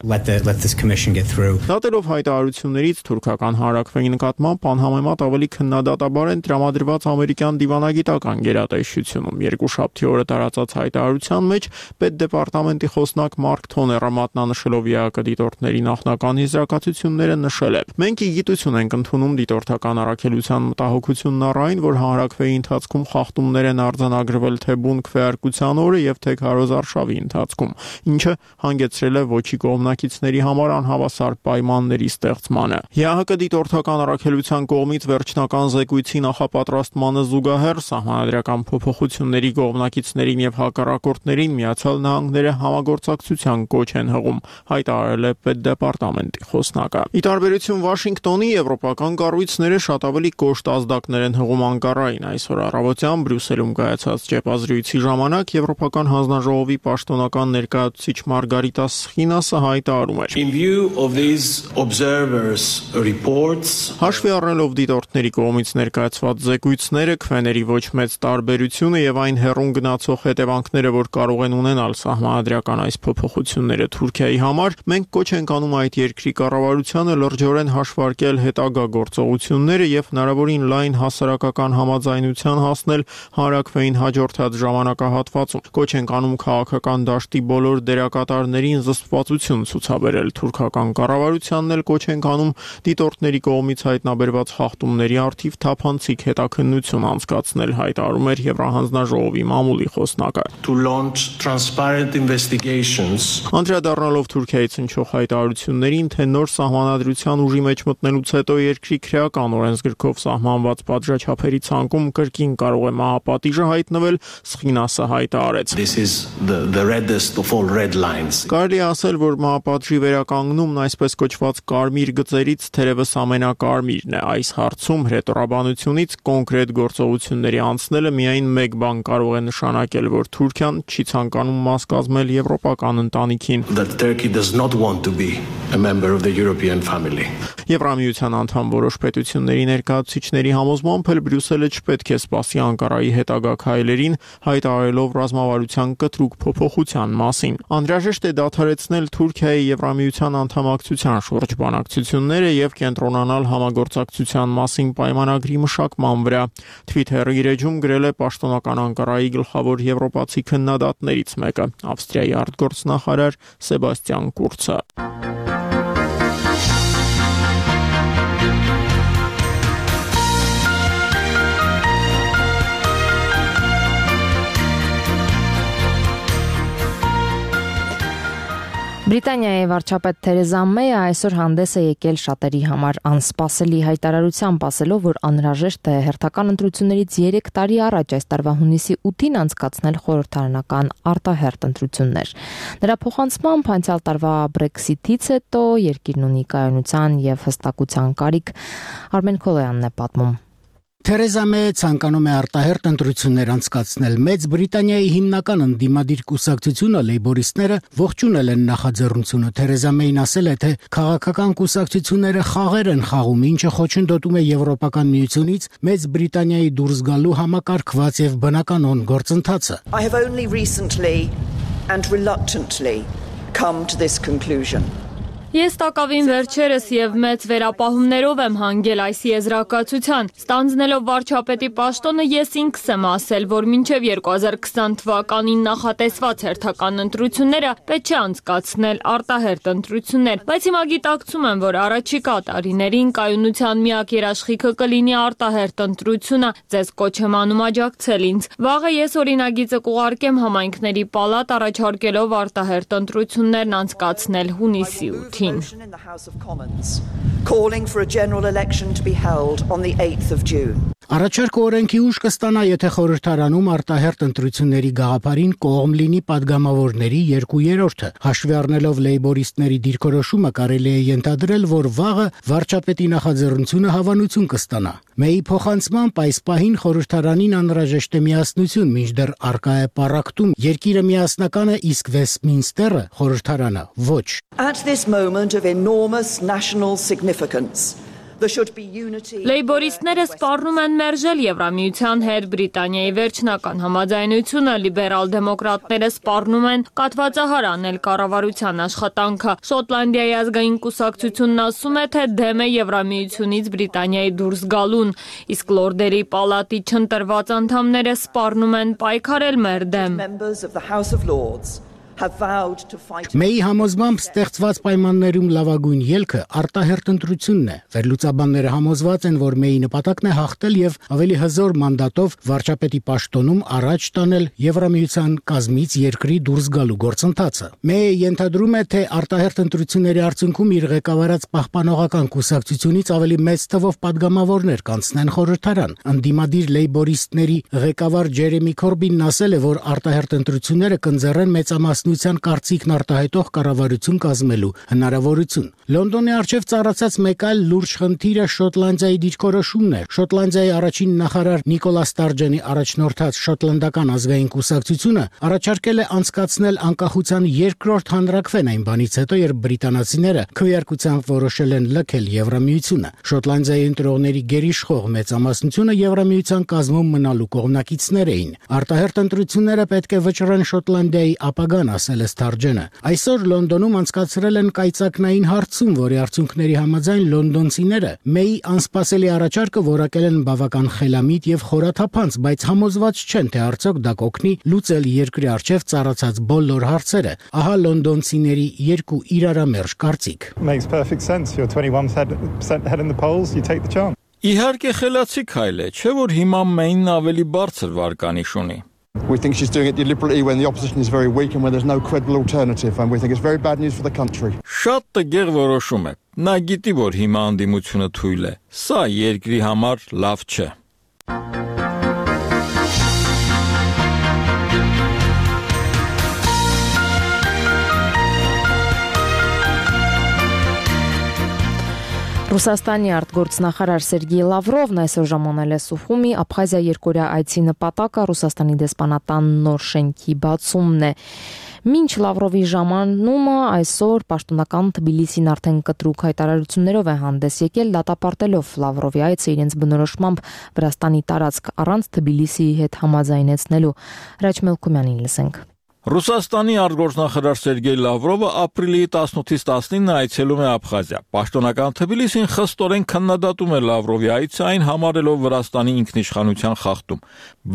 Դատելով հայտարարություններից թուրքական հանրաքվեի նկատմամբ անհամեմատ ավելի քննադատաբար են տրամադրված ամերիկյան դիվանագիտական գերատեսչությունում։ Երկուշաբթի օրը տարածած հայտարարության մեջ պետդեպարտամենտի խոսնակ Մարկ Թոները մատնանշելով ԵԱԿ դիտորդների նախնական եզրակացությունները նշել է. Մենք ի գիտություն ենք ընդունում դիտորդական առաքելության մտահոգությունն առ այն, որ հանրաքվեի ընթացքում խախտումներ են արձանագրվել թե բուն քվեարկության օրը եւ թե քարոզարշավի ընթացքում, ինչը հանգեցրել է ոչի կողմնակիցների համար անհավասար պայմանների ստեղծմանը։ ԵԱՀԿ դիտորդական առաքելության կողմից վերջնական զեկույցի նախապատրաստմանը զուգահեռ սահմանադրական փոփոխությունների կողմնակիցներին եւ հակառակորդներին Միացյալ Նահանգները համագործակցության կոչ են հղում, հայտարարել է պետդեպարտամենտի խոսնակը։ Ի տարբերություն Վաշինգտոնի, եվրոպական կառույցները շատ ավելի կոշտ ազդակներ են հղում Անկարային։ Այսօր առավոտյան Բրյուսելում կայացած ճեպազրույցի ժամանակ Եվրոպական հանձնաժողովի պաշտոնական ներկայացուցիչ Մարգարիտա Սխինասը հայտարարում էր. Հաշվի առնելով դիտորդների կողմից ներկայացված զեկույցները, քվեների ոչ մեծ տարբերությունը եւ այն հեռուն գնացող հետևանքները, որ կարող են ունենալ սահմանադրական այս փոփոխությունները Թուրքիայի համար, մենք կոչ ենք անում այդ երկրի կառավարությանը լրջորեն հաշվարկել հետագա գործողությունները եւ հնարավորին լայն հասարակական համաձայնության հասնել հանրաքվեին հաջորդած ժամանակահատվածում։ Կոչ ենք անում քաղաքական դաշտի բոլոր դերակատարներին զսպվածություն ցուցաբերել թուրքական կառավարությանն էլ կոչ ենք անում դիտորդների կողմից հայտնաբերված խախտումների առթիվ թափանցիկ հետաքննություն անցկացնել, հայտարարում էր Եվրահանձնաժողովի մամուլի խոսնակը։ Անդրադառնալով Թուրքիայից հնչող հայտարարություններին, թե նոր սահմանադրության ուժի մեջ մտնելուց հետո երկրի քրեական օրենսգրքով սահմանված պատժաչափերի ցանկում կրկին կարող է մահապատիժը հայտնվել, Սխինասը հայտարարեց. Կարելի է ասել, որ մահապատժի վերականգնումն այսպես կոչված կարմիր գծերից թերևս ամենակարմիրն է։ Այս հարցում հրետորաբանությունից կոնկրետ գործողությունների անցնելը միայն մեկ բան կարող է նշանակել, որ Թուրքիան չի ցանկանում մաս կազմել եվրոպական ընտանիքին։ Եվրամիության անդամ որոշ պետությունների ներկայացուցիչների համոզմամբ էլ Բրյուսելը չպետք է սպասի Անկարայի հետագա քայլերին, հայտարարելով ռազմավարության կտրուկ փոփոխության մասին։ Անհրաժեշտ է դադարեցնել Թուրքիայի Եվրամիության անդամակցության շուրջ բանակցությունները եւ կենտրոնանալ համագործակցության մասին պայմանագրի մշակման վրա։ Twitter-ի իր էջում գրել է պաշտոնական Անկարայի գլխավոր եվրոպացի քննադատներից մեկը, Ավստրիայի արտգործնախարար Սեբաստիան Կուրցը։ Բրիտանիայի վարչապետ Թերեզա Մեյը այսօր հանդես է եկել շատերի համար անսպասելի հայտարարությամբ, ասելով, որ անհրաժեշտ է հերթական ընտրություններից 3 տարի առաջ այս տարվա հունիսի 8-ին անցկացնել խորհրդարանական արտահերթ ընտրություններ։ Նրա փոխանցմամբ անցյալ տարվա Brexit-ից հետո երկիրն ունի կայունության եւ հստակության կարիք։ Արմեն Քոլոյանն է պատմում։ Թերեզա Մեյը ցանկանում է արտահերթ ընտրություններ անցկացնել։ Մեծ Բրիտանիայի հիմնական ընդդիմադիր կուսակցությունը լեյբորիստները ողջունել են նախաձեռնությունը։ Թերեզա Մեյն ասել է, թե քաղաքական կուսակցությունները խաղեր են խաղում, ինչը խոչընդոտում է Եվրոպական միությունից Մեծ Բրիտանիայի դուրս գալու համակարգված եւ բնականon գործընթացը։ I have only recently and reluctantly come to this conclusion. Ես տակավին վերջերս եւ մեծ վերապահումներով եմ հանգել այս եզրակացության։ Ստանձնելով վարչապետի պաշտոնը ես ինքս եմ ասել, որ մինչև 2020 թվականին նախատեսված հերթական ընտրությունները պետք է անցկացնել արտահերթ ընտրություններ, բայց հիմա գիտակցում եմ, որ առաջիկա տարիներին կայունության միակ երաշխիքը կլինի արտահերթ ընտրությունը։ Ձեզ կոչ եմ անում աջակցել ինձ։ Վաղը ես օրինագիծը կուղարկեմ համայնքների պալատ առաջարկելով արտահերթ ընտրություններն անցկացնել հունիսի 8-ին. Motion in the House of Commons calling for a general election to be held on the 8th of June. Առաջարկը օրենքի ուժ կստանա, եթե խորհրդարանում արտահերթ ընտրությունների գաղափարին կողմ լինի падգամավորների 2/3-ը։ Հաշվի առնելով լեյբորիստների դիրքորոշումը կարելի է ենթադրել, որ վաղը վարչապետի նախաձեռնությունը հավանություն կստանա։ Մեյի փոխանցմամբ այս պահին խորհրդարանին անհրաժեշտ է միասնություն, մինչդեռ առկա է պառակտում երկիրը միասնական է, իսկ Վեսթմինստերը խորհրդարանը ոչ։ At this moment of enormous national significance, there should be unity. Լեյբորիստները սպառնում են մերժել Եվրամիության հետ Բրիտանիայի վերջնական համաձայնությունը, լիբերալ դեմոկրատները սպառնում են կաթվածահար անել կառավարության աշխատանքը։ Շոտլանդիայի ազգային կուսակցությունն ասում է, թե դեմ է Եվրամիությունից Բրիտանիայի դուրս գալուն, իսկ լորդերի պալատի չընտրված անդամները սպառնում են պայքարել մեր դեմ։ Members of the House of Lords have vowed to fight. Մեի համոզմամբ ստեղծված պայմաններում լավագույն ելքը արտահերթ ընտրությունն է։ Վերլուծաբանները համոզված են, որ Մեի նպատակն է հաղթել եւ ավելի հզոր մանդատով վարչապետի պաշտոնում առաջ տանել Եվրամիության կազմից երկրի դուրս գալու գործընթացը։ Մեյը ենթադրում է, թե արտահերթ ընտրությունների արդյունքում իր ղեկավարած պահպանողական կուսակցությունից ավելի մեծ թվով падգամավորներ կանցնեն խորհրդարան։ Անդիմադիր լեյբորիստների ղեկավար Ջերեմի Քորբինն ասել է, որ արտահերթ ընտրությունները կընձեռեն մեծամասնության կարծիքն արտահայտող կառավարություն կազմելու հնարավորություն։ Լոնդոնի առջև ծառացած մեկ այլ լուրջ խնդիրը Շոտլանդիայի դիրքորոշումն է։ Շոտլանդիայի առաջին նախարար Նիկոլա Ստարջենի առաջնորդած Շոտլանդական ազգային կուսակցությունը առաջարկել է անցկացնել անկախության երկրորդ հանրաքվեն այն բանից հետո, երբ բրիտանացիները քվեարկությամբ որոշել են լքել Եվրամիությունը։ Շոտլանդիայի ընտրողների գերիշխող մեծամասնությունը Եվրամիության կազմում մնալու կողմնակիցներ էին։ Արտահերթ ընտրությունները պետք է վճռեն Շոտլանդիայի ապագան, ասել է Ստարջենը։ Այսօր Լոնդոնում անցկացրել են կայծակնային հարցում, որի արդյունքների համաձայն լոնդոնցիները Մեի անսպասելի առաջարկը որակել են բավական խելամիտ եւ խորաթափանց, բայց համոզված չեն, թե արդյոք դա կօգնի լուծել երկրի առջև ծառացած բոլոր հարցերը։ Ահա լոնդոնցիների երկու իրարամերժ կարծիք։ Makes perfect sense. You're 21% ahead in the polls, you take the chance. Իհարկե խելացի քայլ է, չէ՞ որ հիմա Մեյնն ավելի բարձր վարկանիշ ունի։ We think she's doing it deliberately when the opposition is very weak and when there's no credible alternative, and we think it's very bad news for the country. Շատ տգեղ որոշում է։ Նա գիտի, որ հիմա անդիմությունը թույլ է։ Սա երկրի համար լավ չէ։ Ռուսաստանի արտգործնախարար Սերգեյ Լավրովն այսօր ժամանել է Սուխումի Աբխազիա երկօրյա այցի նպատակը Ռուսաստանի դեսպանատան նոր շենքի բացումն է։ Մինչ Լավրովի ժամանումը այսօր պաշտոնական Թբիլիսին արդեն կտրուկ հայտարարություններով է հանդես եկել, դատապարտելով Լավրովի այցը իրենց բնորոշմամբ Վրաստանի տարածք առանց Թբիլիսիի հետ համաձայնեցնելու։ Հրաչ Մելքումյանին լսենք։ Ռուսաստանի արտգործնախարար Սերգեյ Լավրովը ապրիլի 18-ից 19-ը այցելում է Աբխազիա։ Պաշտոնական Թբիլիսին խստորեն քննադատում է Լավրովի այցը, այն համարելով Վրաստանի ինքնիշխանության խախտում։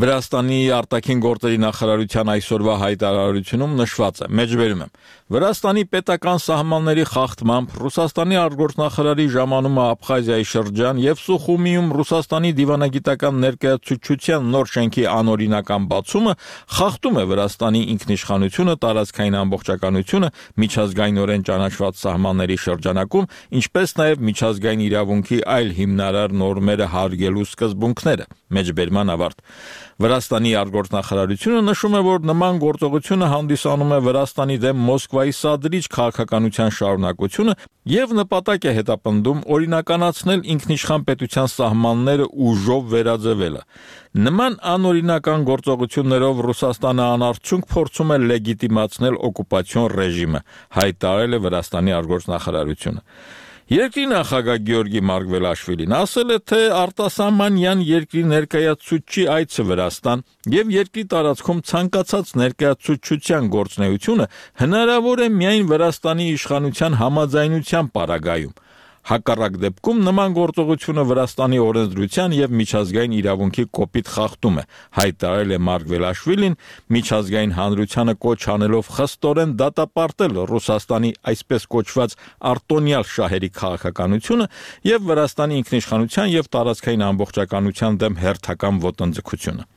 Վրաստանի արտաքին գործերի նախարարության այսօրվա հայտարարությունում նշված է. մեջբերում եմ. Վրաստանի պետական սահմանների խախտմամբ Ռուսաստանի արտգործնախարարի ժամանումը Աբխազիայի շրջան եւ Սուխումիում Ռուսաստանի դիվանագիտական ներկայացուցչության նոր շենքի անօրինական բացումը խախտում է Վրաստանի ինքնիշխանությունը, տարածքային ամբողջականությունը, միջազգայինորեն ճանաչված սահմանների շրջանակում, ինչպես նաև միջազգային իրավունքի այլ հիմնարար նորմերը հարգելու սկզբունքները։ Մեջբերման ավարտ։ Վրաստանի արտգործնախարարությունը նշում է, որ նման գործողությունը հանդիսանում է Վրաստանի դեմ Մոսկվայի սադրիչ քաղաքականության շարունակությունը եւ նպատակ է հետապնդում օրինականացնել ինքնիշխան պետության սահմանները ուժով վերաձևելը։ Նման անօրինական գործողություններով Ռուսաստանը անարդյունք փորձում է լեգիտիմացնել օկուպացիոն ռեժիմը, հայտարարել է Վրաստանի արտգործնախարարությունը։ Երկրի նախագահ Գեորգի Մարգվելաշվիլին ասել է, թե արտասահմանյան երկրի ներկայացուցչի այցը Վրաստան եւ երկրի տարածքում ցանկացած ներկայացուցչության գործունեությունը հնարավոր է միայն Վրաստանի իշխանության համաձայնության պարագայում։ Հակառակ դեպքում նման գործողությունը Վրաստանի օրենսդրության եւ միջազգային իրավունքի կոպիտ խախտում է, հայտարարել է Մարգվելաշվիլին, միջազգային հանրությանը կոչ անելով խստորեն դատապարտել Ռուսաստանի այսպես կոչված արտոնյալ շահերի քաղաքականությունը եւ Վրաստանի ինքնիշխանության եւ տարածքային ամբողջականության դեմ հերթական ոտնձգությունը։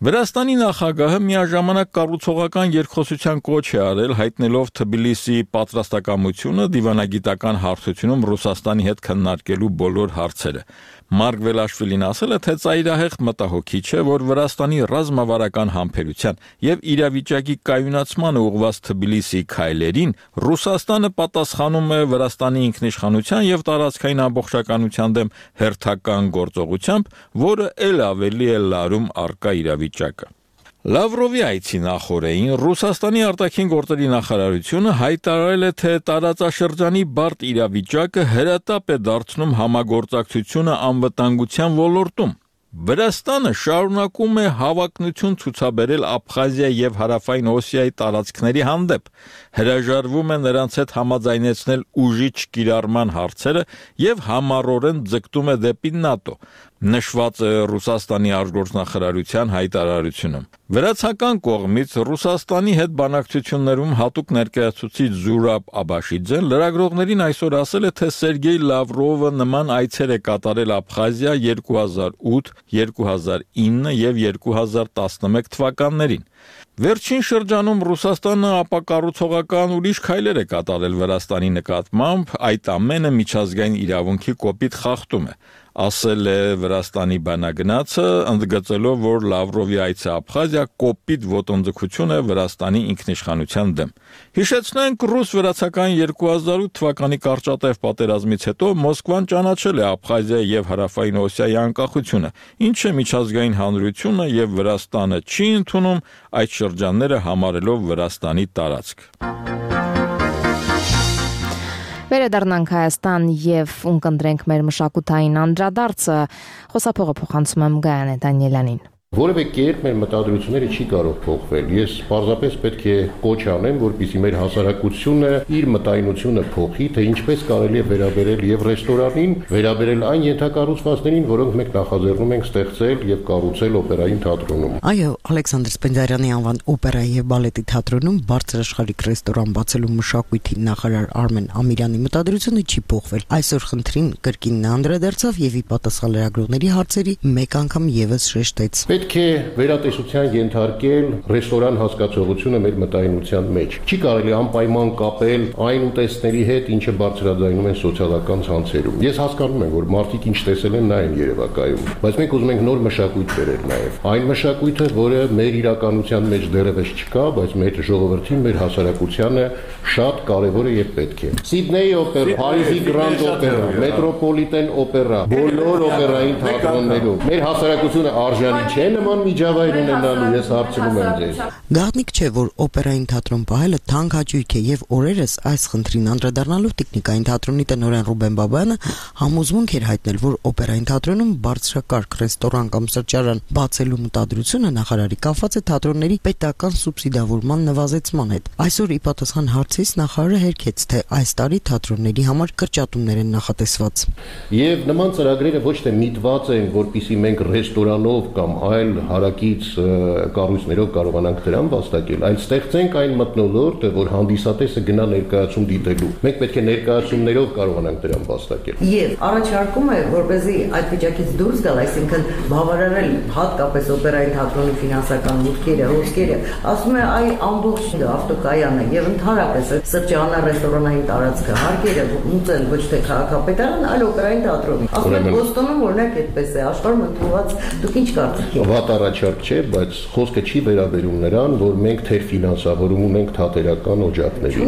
Վրաստանի նախագահը միաժամանակ կառուցողական երկխոսության կոչ է արել, հայտնելով Թբիլիսիի պատրաստակամությունը դիվանագիտական հարթությունում Ռուսաստանի հետ քննարկելու բոլոր հարցերը։ Մարգվելաշվիլին ասել է, թե ծայրահեղ մտահոգիչ է, որ Վրաստանի ռազմավարական համբերության եւ իրավիճակի կայունացմանը ուղղված Թբիլիսիի քայլերին Ռուսաստանը պատասխանում է Վրաստանի ինքնիշխանության եւ տարածքային ամբողջականության դեմ հերթական գործողությամբ, որը ել ավելի է լարում առկա իրավիճակը։ Լավրովի այցի նախօրեին Ռուսաստանի արտաքին գործերի նախարարությունը հայտարարել է, թե տարածաշրջանի բարդ իրավիճակը հրատապ է դարձնում համագործակցությունը անվտանգության ոլորտում։ Վրաստանը շարունակում է հավակնություն ցուցաբերել Աբխազիա եւ Հարավային Օսիայի տարածքների հանդեպ, հրաժարվում է նրանց հետ համաձայնեցնել ուժի չկիրառման հարցերը եւ համառորեն ձգտում է դեպի ՆԱՏՕ, նշված է Ռուսաստանի արտգործնախարարության հայտարարությունում։ Վրացական կողմից Ռուսաստանի հետ բանակցություններում հատուկ ներկայացուցիչ Զուրաբ Աբաշիձեն լրագրողներին այսօր ասել է, թե Սերգեյ Լավրովը նման այցեր է կատարել Աբխազիա 2008, 2009 եւ 2011 թվականներին։ Վերջին շրջանում Ռուսաստանը ապակառուցողական ուրիշ քայլեր է կատարել Վրաստանի նկատմամբ, այդ ամենը միջազգային իրավունքի կոպիտ խախտում է, ասել է Վրաստանի բանագնացը, ընդգծելով, որ Լավրովի այցը Աբխազիա կոպիտ ոտնձգություն է Վրաստանի ինքնիշխանության դեմ։ Հիշեցնենք, ռուս-վրացական 2008 թվականի կարճատև պատերազմից հետո Մոսկվան ճանաչել է Աբխազիա եւ Հարավային Օսիայի անկախությունը, ինչը միջազգային հանրությունը եւ Վրաստանը չի ընդունում, այդ շրջանները համարելով Վրաստանի տարածք։ Վերադառնանք Հայաստան եւ ունկնդրենք մեր մշակութային անդրադարձը, խոսափողը փոխանցում եմ Գայանե Դանիելյանին։ Որևէ կերպ մեր մտադրությունները չի կարող փոխվել։ Ես պարզապես պետք է կոչ անեմ, որպեսզի մեր հասարակությունը իր մտայնությունը փոխի, թե ինչպես կարելի է վերաբերել եւ ռեստորանին, վերաբերել այն ենթակառուցվածքներին, որոնք մենք նախաձեռնում ենք ստեղծել եւ կառուցել օպերային թատրոնում։ Այո, Ալեքսանդր Սպենդիարյանի անվան օպերայի եւ բալետի թատրոնում բարձրաշխարհիկ ռեստորան բացելու մշակույթի նախարար Արմեն Ամիրյանի մտադրությունը չի փոխվել։ Այսօր խնդրին կրկին անդրադարձավ եւ ի պատասխան լրագրողների հարցերի մեկ անգամ եւս շեշտեց. Պետք է վերատեսության ենթարկել ռեստորան հասկացողությունը մեր մտայնության մեջ։ Չի կարելի անպայման կապել այն ուտեստների հետ, ինչը բարձրաձայնում են սոցիալական ցանցերում։ Ես հասկանում եմ, որ մարդիկ ինչ տեսել են, նա են երևակայում, բայց մենք ուզում ենք նոր մշակույթ բերել նաև։ Այն մշակույթը, որը մեր իրականության մեջ դեռևս չկա, բայց մեր ժողովրդին, մեր հասարակությանը շատ կարևոր է եւ պետք է։ Սիդնեյի օպերա, Փարիզի Գրանդ օպերա, Մետրոպոլիտեն օպերա, բոլոր օպերային թատրոններում մեր հասարակությունը արժանի չէ նման միջավայր ունենալու, ես հարցնում եմ ձեզ։ Գաղտնիք չէ, որ օպերային թատրոն պահելը թանկ հաճույք է եւ օրերս այս խնդրին անդրադառնալով տեխնիկային թատրոնի տնօրեն Ռուբեն Բաբայանը համոզմունք էր հայտնել, որ օպերային թատրոնում բարձրակարգ ռեստորան կամ սրճարան բացելու մտադրությունը նախարարի կապված է թատրոնների պետական սուբսիդավորման նվազեցման հետ։ Այսօր ի պատասխան հարցից նախարարը հերքեց, թե այս տարի թատրոնների համար կրճատումներ են նախատեսված։ Եվ նման ծրագրերը ոչ թե միտված են, որպեսզի մենք ռեստորանով կամ այլ հարակից կառույցներով կարողանանք դրան վաստակել, այլ ստեղծենք այն մթնոլորտը, որ հանդիսատեսը գնա ներկայացում դիտելու։ Մենք պետք է ներկայացումներով կարողանանք դրան վաստակել։ Եվ առաջարկում է, որպեսզի այդ վիճակից դուրս գալ, այսինքն բավարարել հատկապես օպերային թատրոնի ֆինանսական մուտքերը, հոսքերը, ասում է այ ամբողջ ավտոկայանը եւ ընդհանրապես սրճարանը, ռեստորանային տարածքը, հարկերը մուծել ոչ թե քաղաքապետարան, այլ օպերային թատրոնի։ Ասում է Բոստոնում օրինակ այդպես է, աշխարհում ընդունված, դուք ինչ կարծիք եք։ Վատ առաջարկ չէ, բայց խոսքը չի վերաբերում նրան, որ մենք թեր ֆինանսավորում ունենք թատերական օջախների։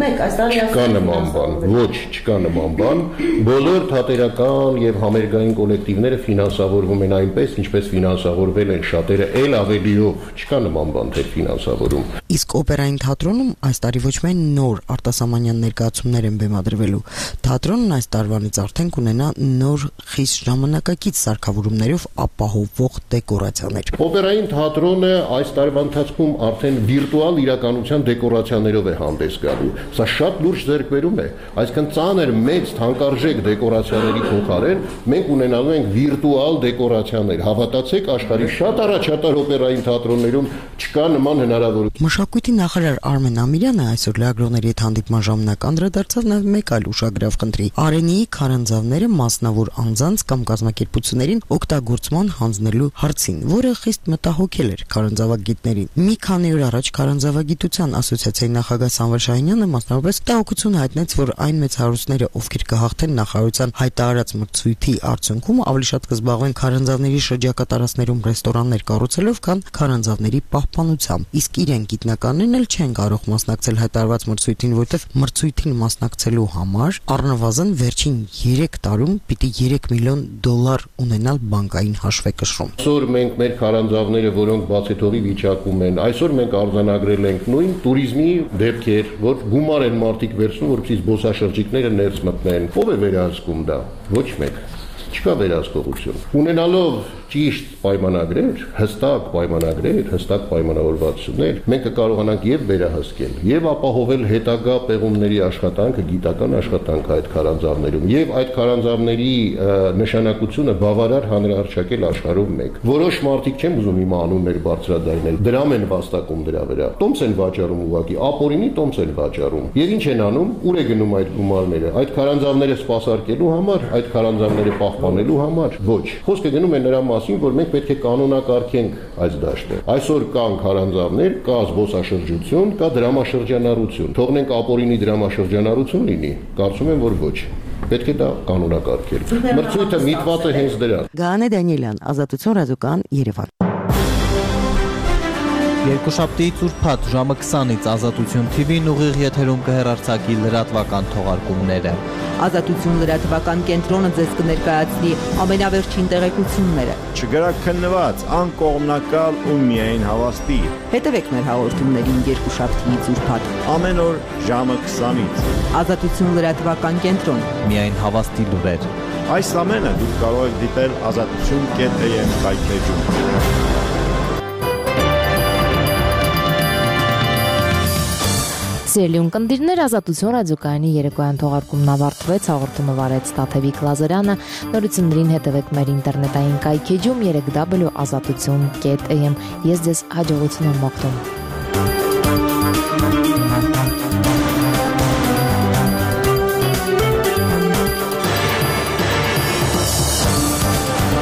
Չկա նման բան, ոչ, չկա նման բան։ Բոլոր թատերական եւ համերգային կոլեկտիվները ֆինանսավորվում են այնպես, ինչպես ֆինանսավորվել են շատերը, ել ավելիով, չկա նման բան թեր ֆինանսավորում։ Իսկ օպերային թատրոնում այս տարի ոչ միայն նոր արտասահմանյան ներկայացումներ են բեմադրվելու, թատրոնն այս տարվանից արդեն կունենա նոր խիստ ժամանակակից սարքավորումներով ապահովող դեկորացիաներ։ Օպերային թատրոնը այս տարվա ընթացքում արդեն վիրտուալ իրականության դեկորացիաներով է հանդես գալու։ Սա շատ լուրջ ձեռքբերում է, այսինքն ծանր մեծ թանկարժեք դեկորացիաների փոխարեն մենք ունենալու ենք վիրտուալ դեկորացիաներ։ Հավատացեք, աշխարհի շատ առաջատար օպերային թատրոններում չկա նման հնարավորություն։ Մշակույթի նախարար Արմեն Ամիրյանը այսօր լրագրողների հետ հանդիպման ժամանակ անդրադարձավ նաև մեկ այլ ուշագրավ խնդրի՝ Արենիի քարանձավները մասնավոր անձանց կամ կազմակերպություններին օգտագործման հանձնելու հարցին, որը խիստ մտահոգել էր քարանձավագիտներին։ Մի քանի օր առաջ Քարանձավագիտության ասոցիացիայի նախագահ Սամվել Շահինյանը մասնավորապես տաղություն հայտնեց, որ այն մեծ հարուստները, ովքեր կհաղթեն նախարարության հայտարարած մրցույթի արդյունքում, ավելի շատ կզբաղվեն քարանձավների շրջակա տարածքներում ռեստորաններ կառուցելով, քան քարանձավների պահպանությամբ։ Իսկ իրենք գիտնականներն էլ չեն կարող մասնակցել հայտարարված մրցույթին, որտեղ մրցույթին մասնակցելու համար առնվազն վերջին 3 տարում պիտի $3 միլիոն ունենալ բանկային հաշվեկշռում։ Այսօր մենք մեր քարանձավները, որոնք բացեթողի վիճակում են, այսօր մենք արձանագրել ենք նույն туриզմի դեպքեր, որ գումար են մարդիկ վերցնում, որպեսզի զբոսաշրջիկները ներս մտնեն։ Ո՞վ է վերահսկում դա։ Ոչ մեկ։ Չկա վերահսկողություն։ Ունենալով ճիշտ պայմանագրեր, հստակ պայմանագրեր, հստակ պայմանավորվածություններ, մենք կկարողանանք եւ վերահսկել, եւ ապահովել հետագա պեղումների աշխատանքը, գիտական աշխատանքը այդ քարանձավներում, եւ այդ քարանձավների նշանակությունը բավարար հանրահռչակել աշխարհում մեկ։ Որոշ մարդիկ չեմ ուզում իմ անուններ բարձրադայնել, դրամ են վաստակում դրա վրա։ Տոմս են վաճառում ուղղակի, ապօրինի տոմս են վաճառում։ Եվ ինչ են անում, ուր է գնում այդ գումարները։ Այդ քարանձավները սպասարկելու համար, այդ քարանձավները պահպանելու համար, ոչ։ Խոսքը գնում է նրա մասին, որ մենք պետք է կանոնակարգենք այս դաշտը։ Այսօր կան քարանձավներ, կա զբոսաշրջություն, կա դրամաշրջանառություն։ Թողնենք ապօրինի դրամաշրջանառություն լինի։ Կարծում եմ, որ ոչ։ Պետք է դա կանոնակարգել։ Մրցույթը միտված է հենց դրան։ Գանե Դանիելյան, Ազատություն ռադիոկայան, Երևան։ Երկուշաբթիից ուրբաթ ժամը 20-ից Ազատություն TV-ն ուղիղ եթերում կհեռարձակի լրատվական թողարկումները։ Ազատություն լրատվական կենտրոնը ձեզ կներկայացնի ամենավերջին տեղեկությունները։ Չգրակ քննված, անկողմնակալ ու միայն հավաստի։ Հետևեք մեր հաղորդումներին երկուշաբթիից ուրբաթ ամեն օր ժամը 20-ից։ Ազատություն լրատվական կենտրոն։ Միայն հավաստի լուրեր։ Այս ամենը դուք կարող եք դիտել azatutun.am կայքեջում։ Սիրելի ունկնդիրներ, Ազատություն ռադիոկայանի երեկոյան թողարկումն ավարտվեց, հաղորդումը վարեց Տաթևիկ Լազարյանը, նորություններին հետևեք մեր ինտերնետային կայքեջում www.azatutun.am։ Ես ձեզ հաջողություն եմ մաղթում։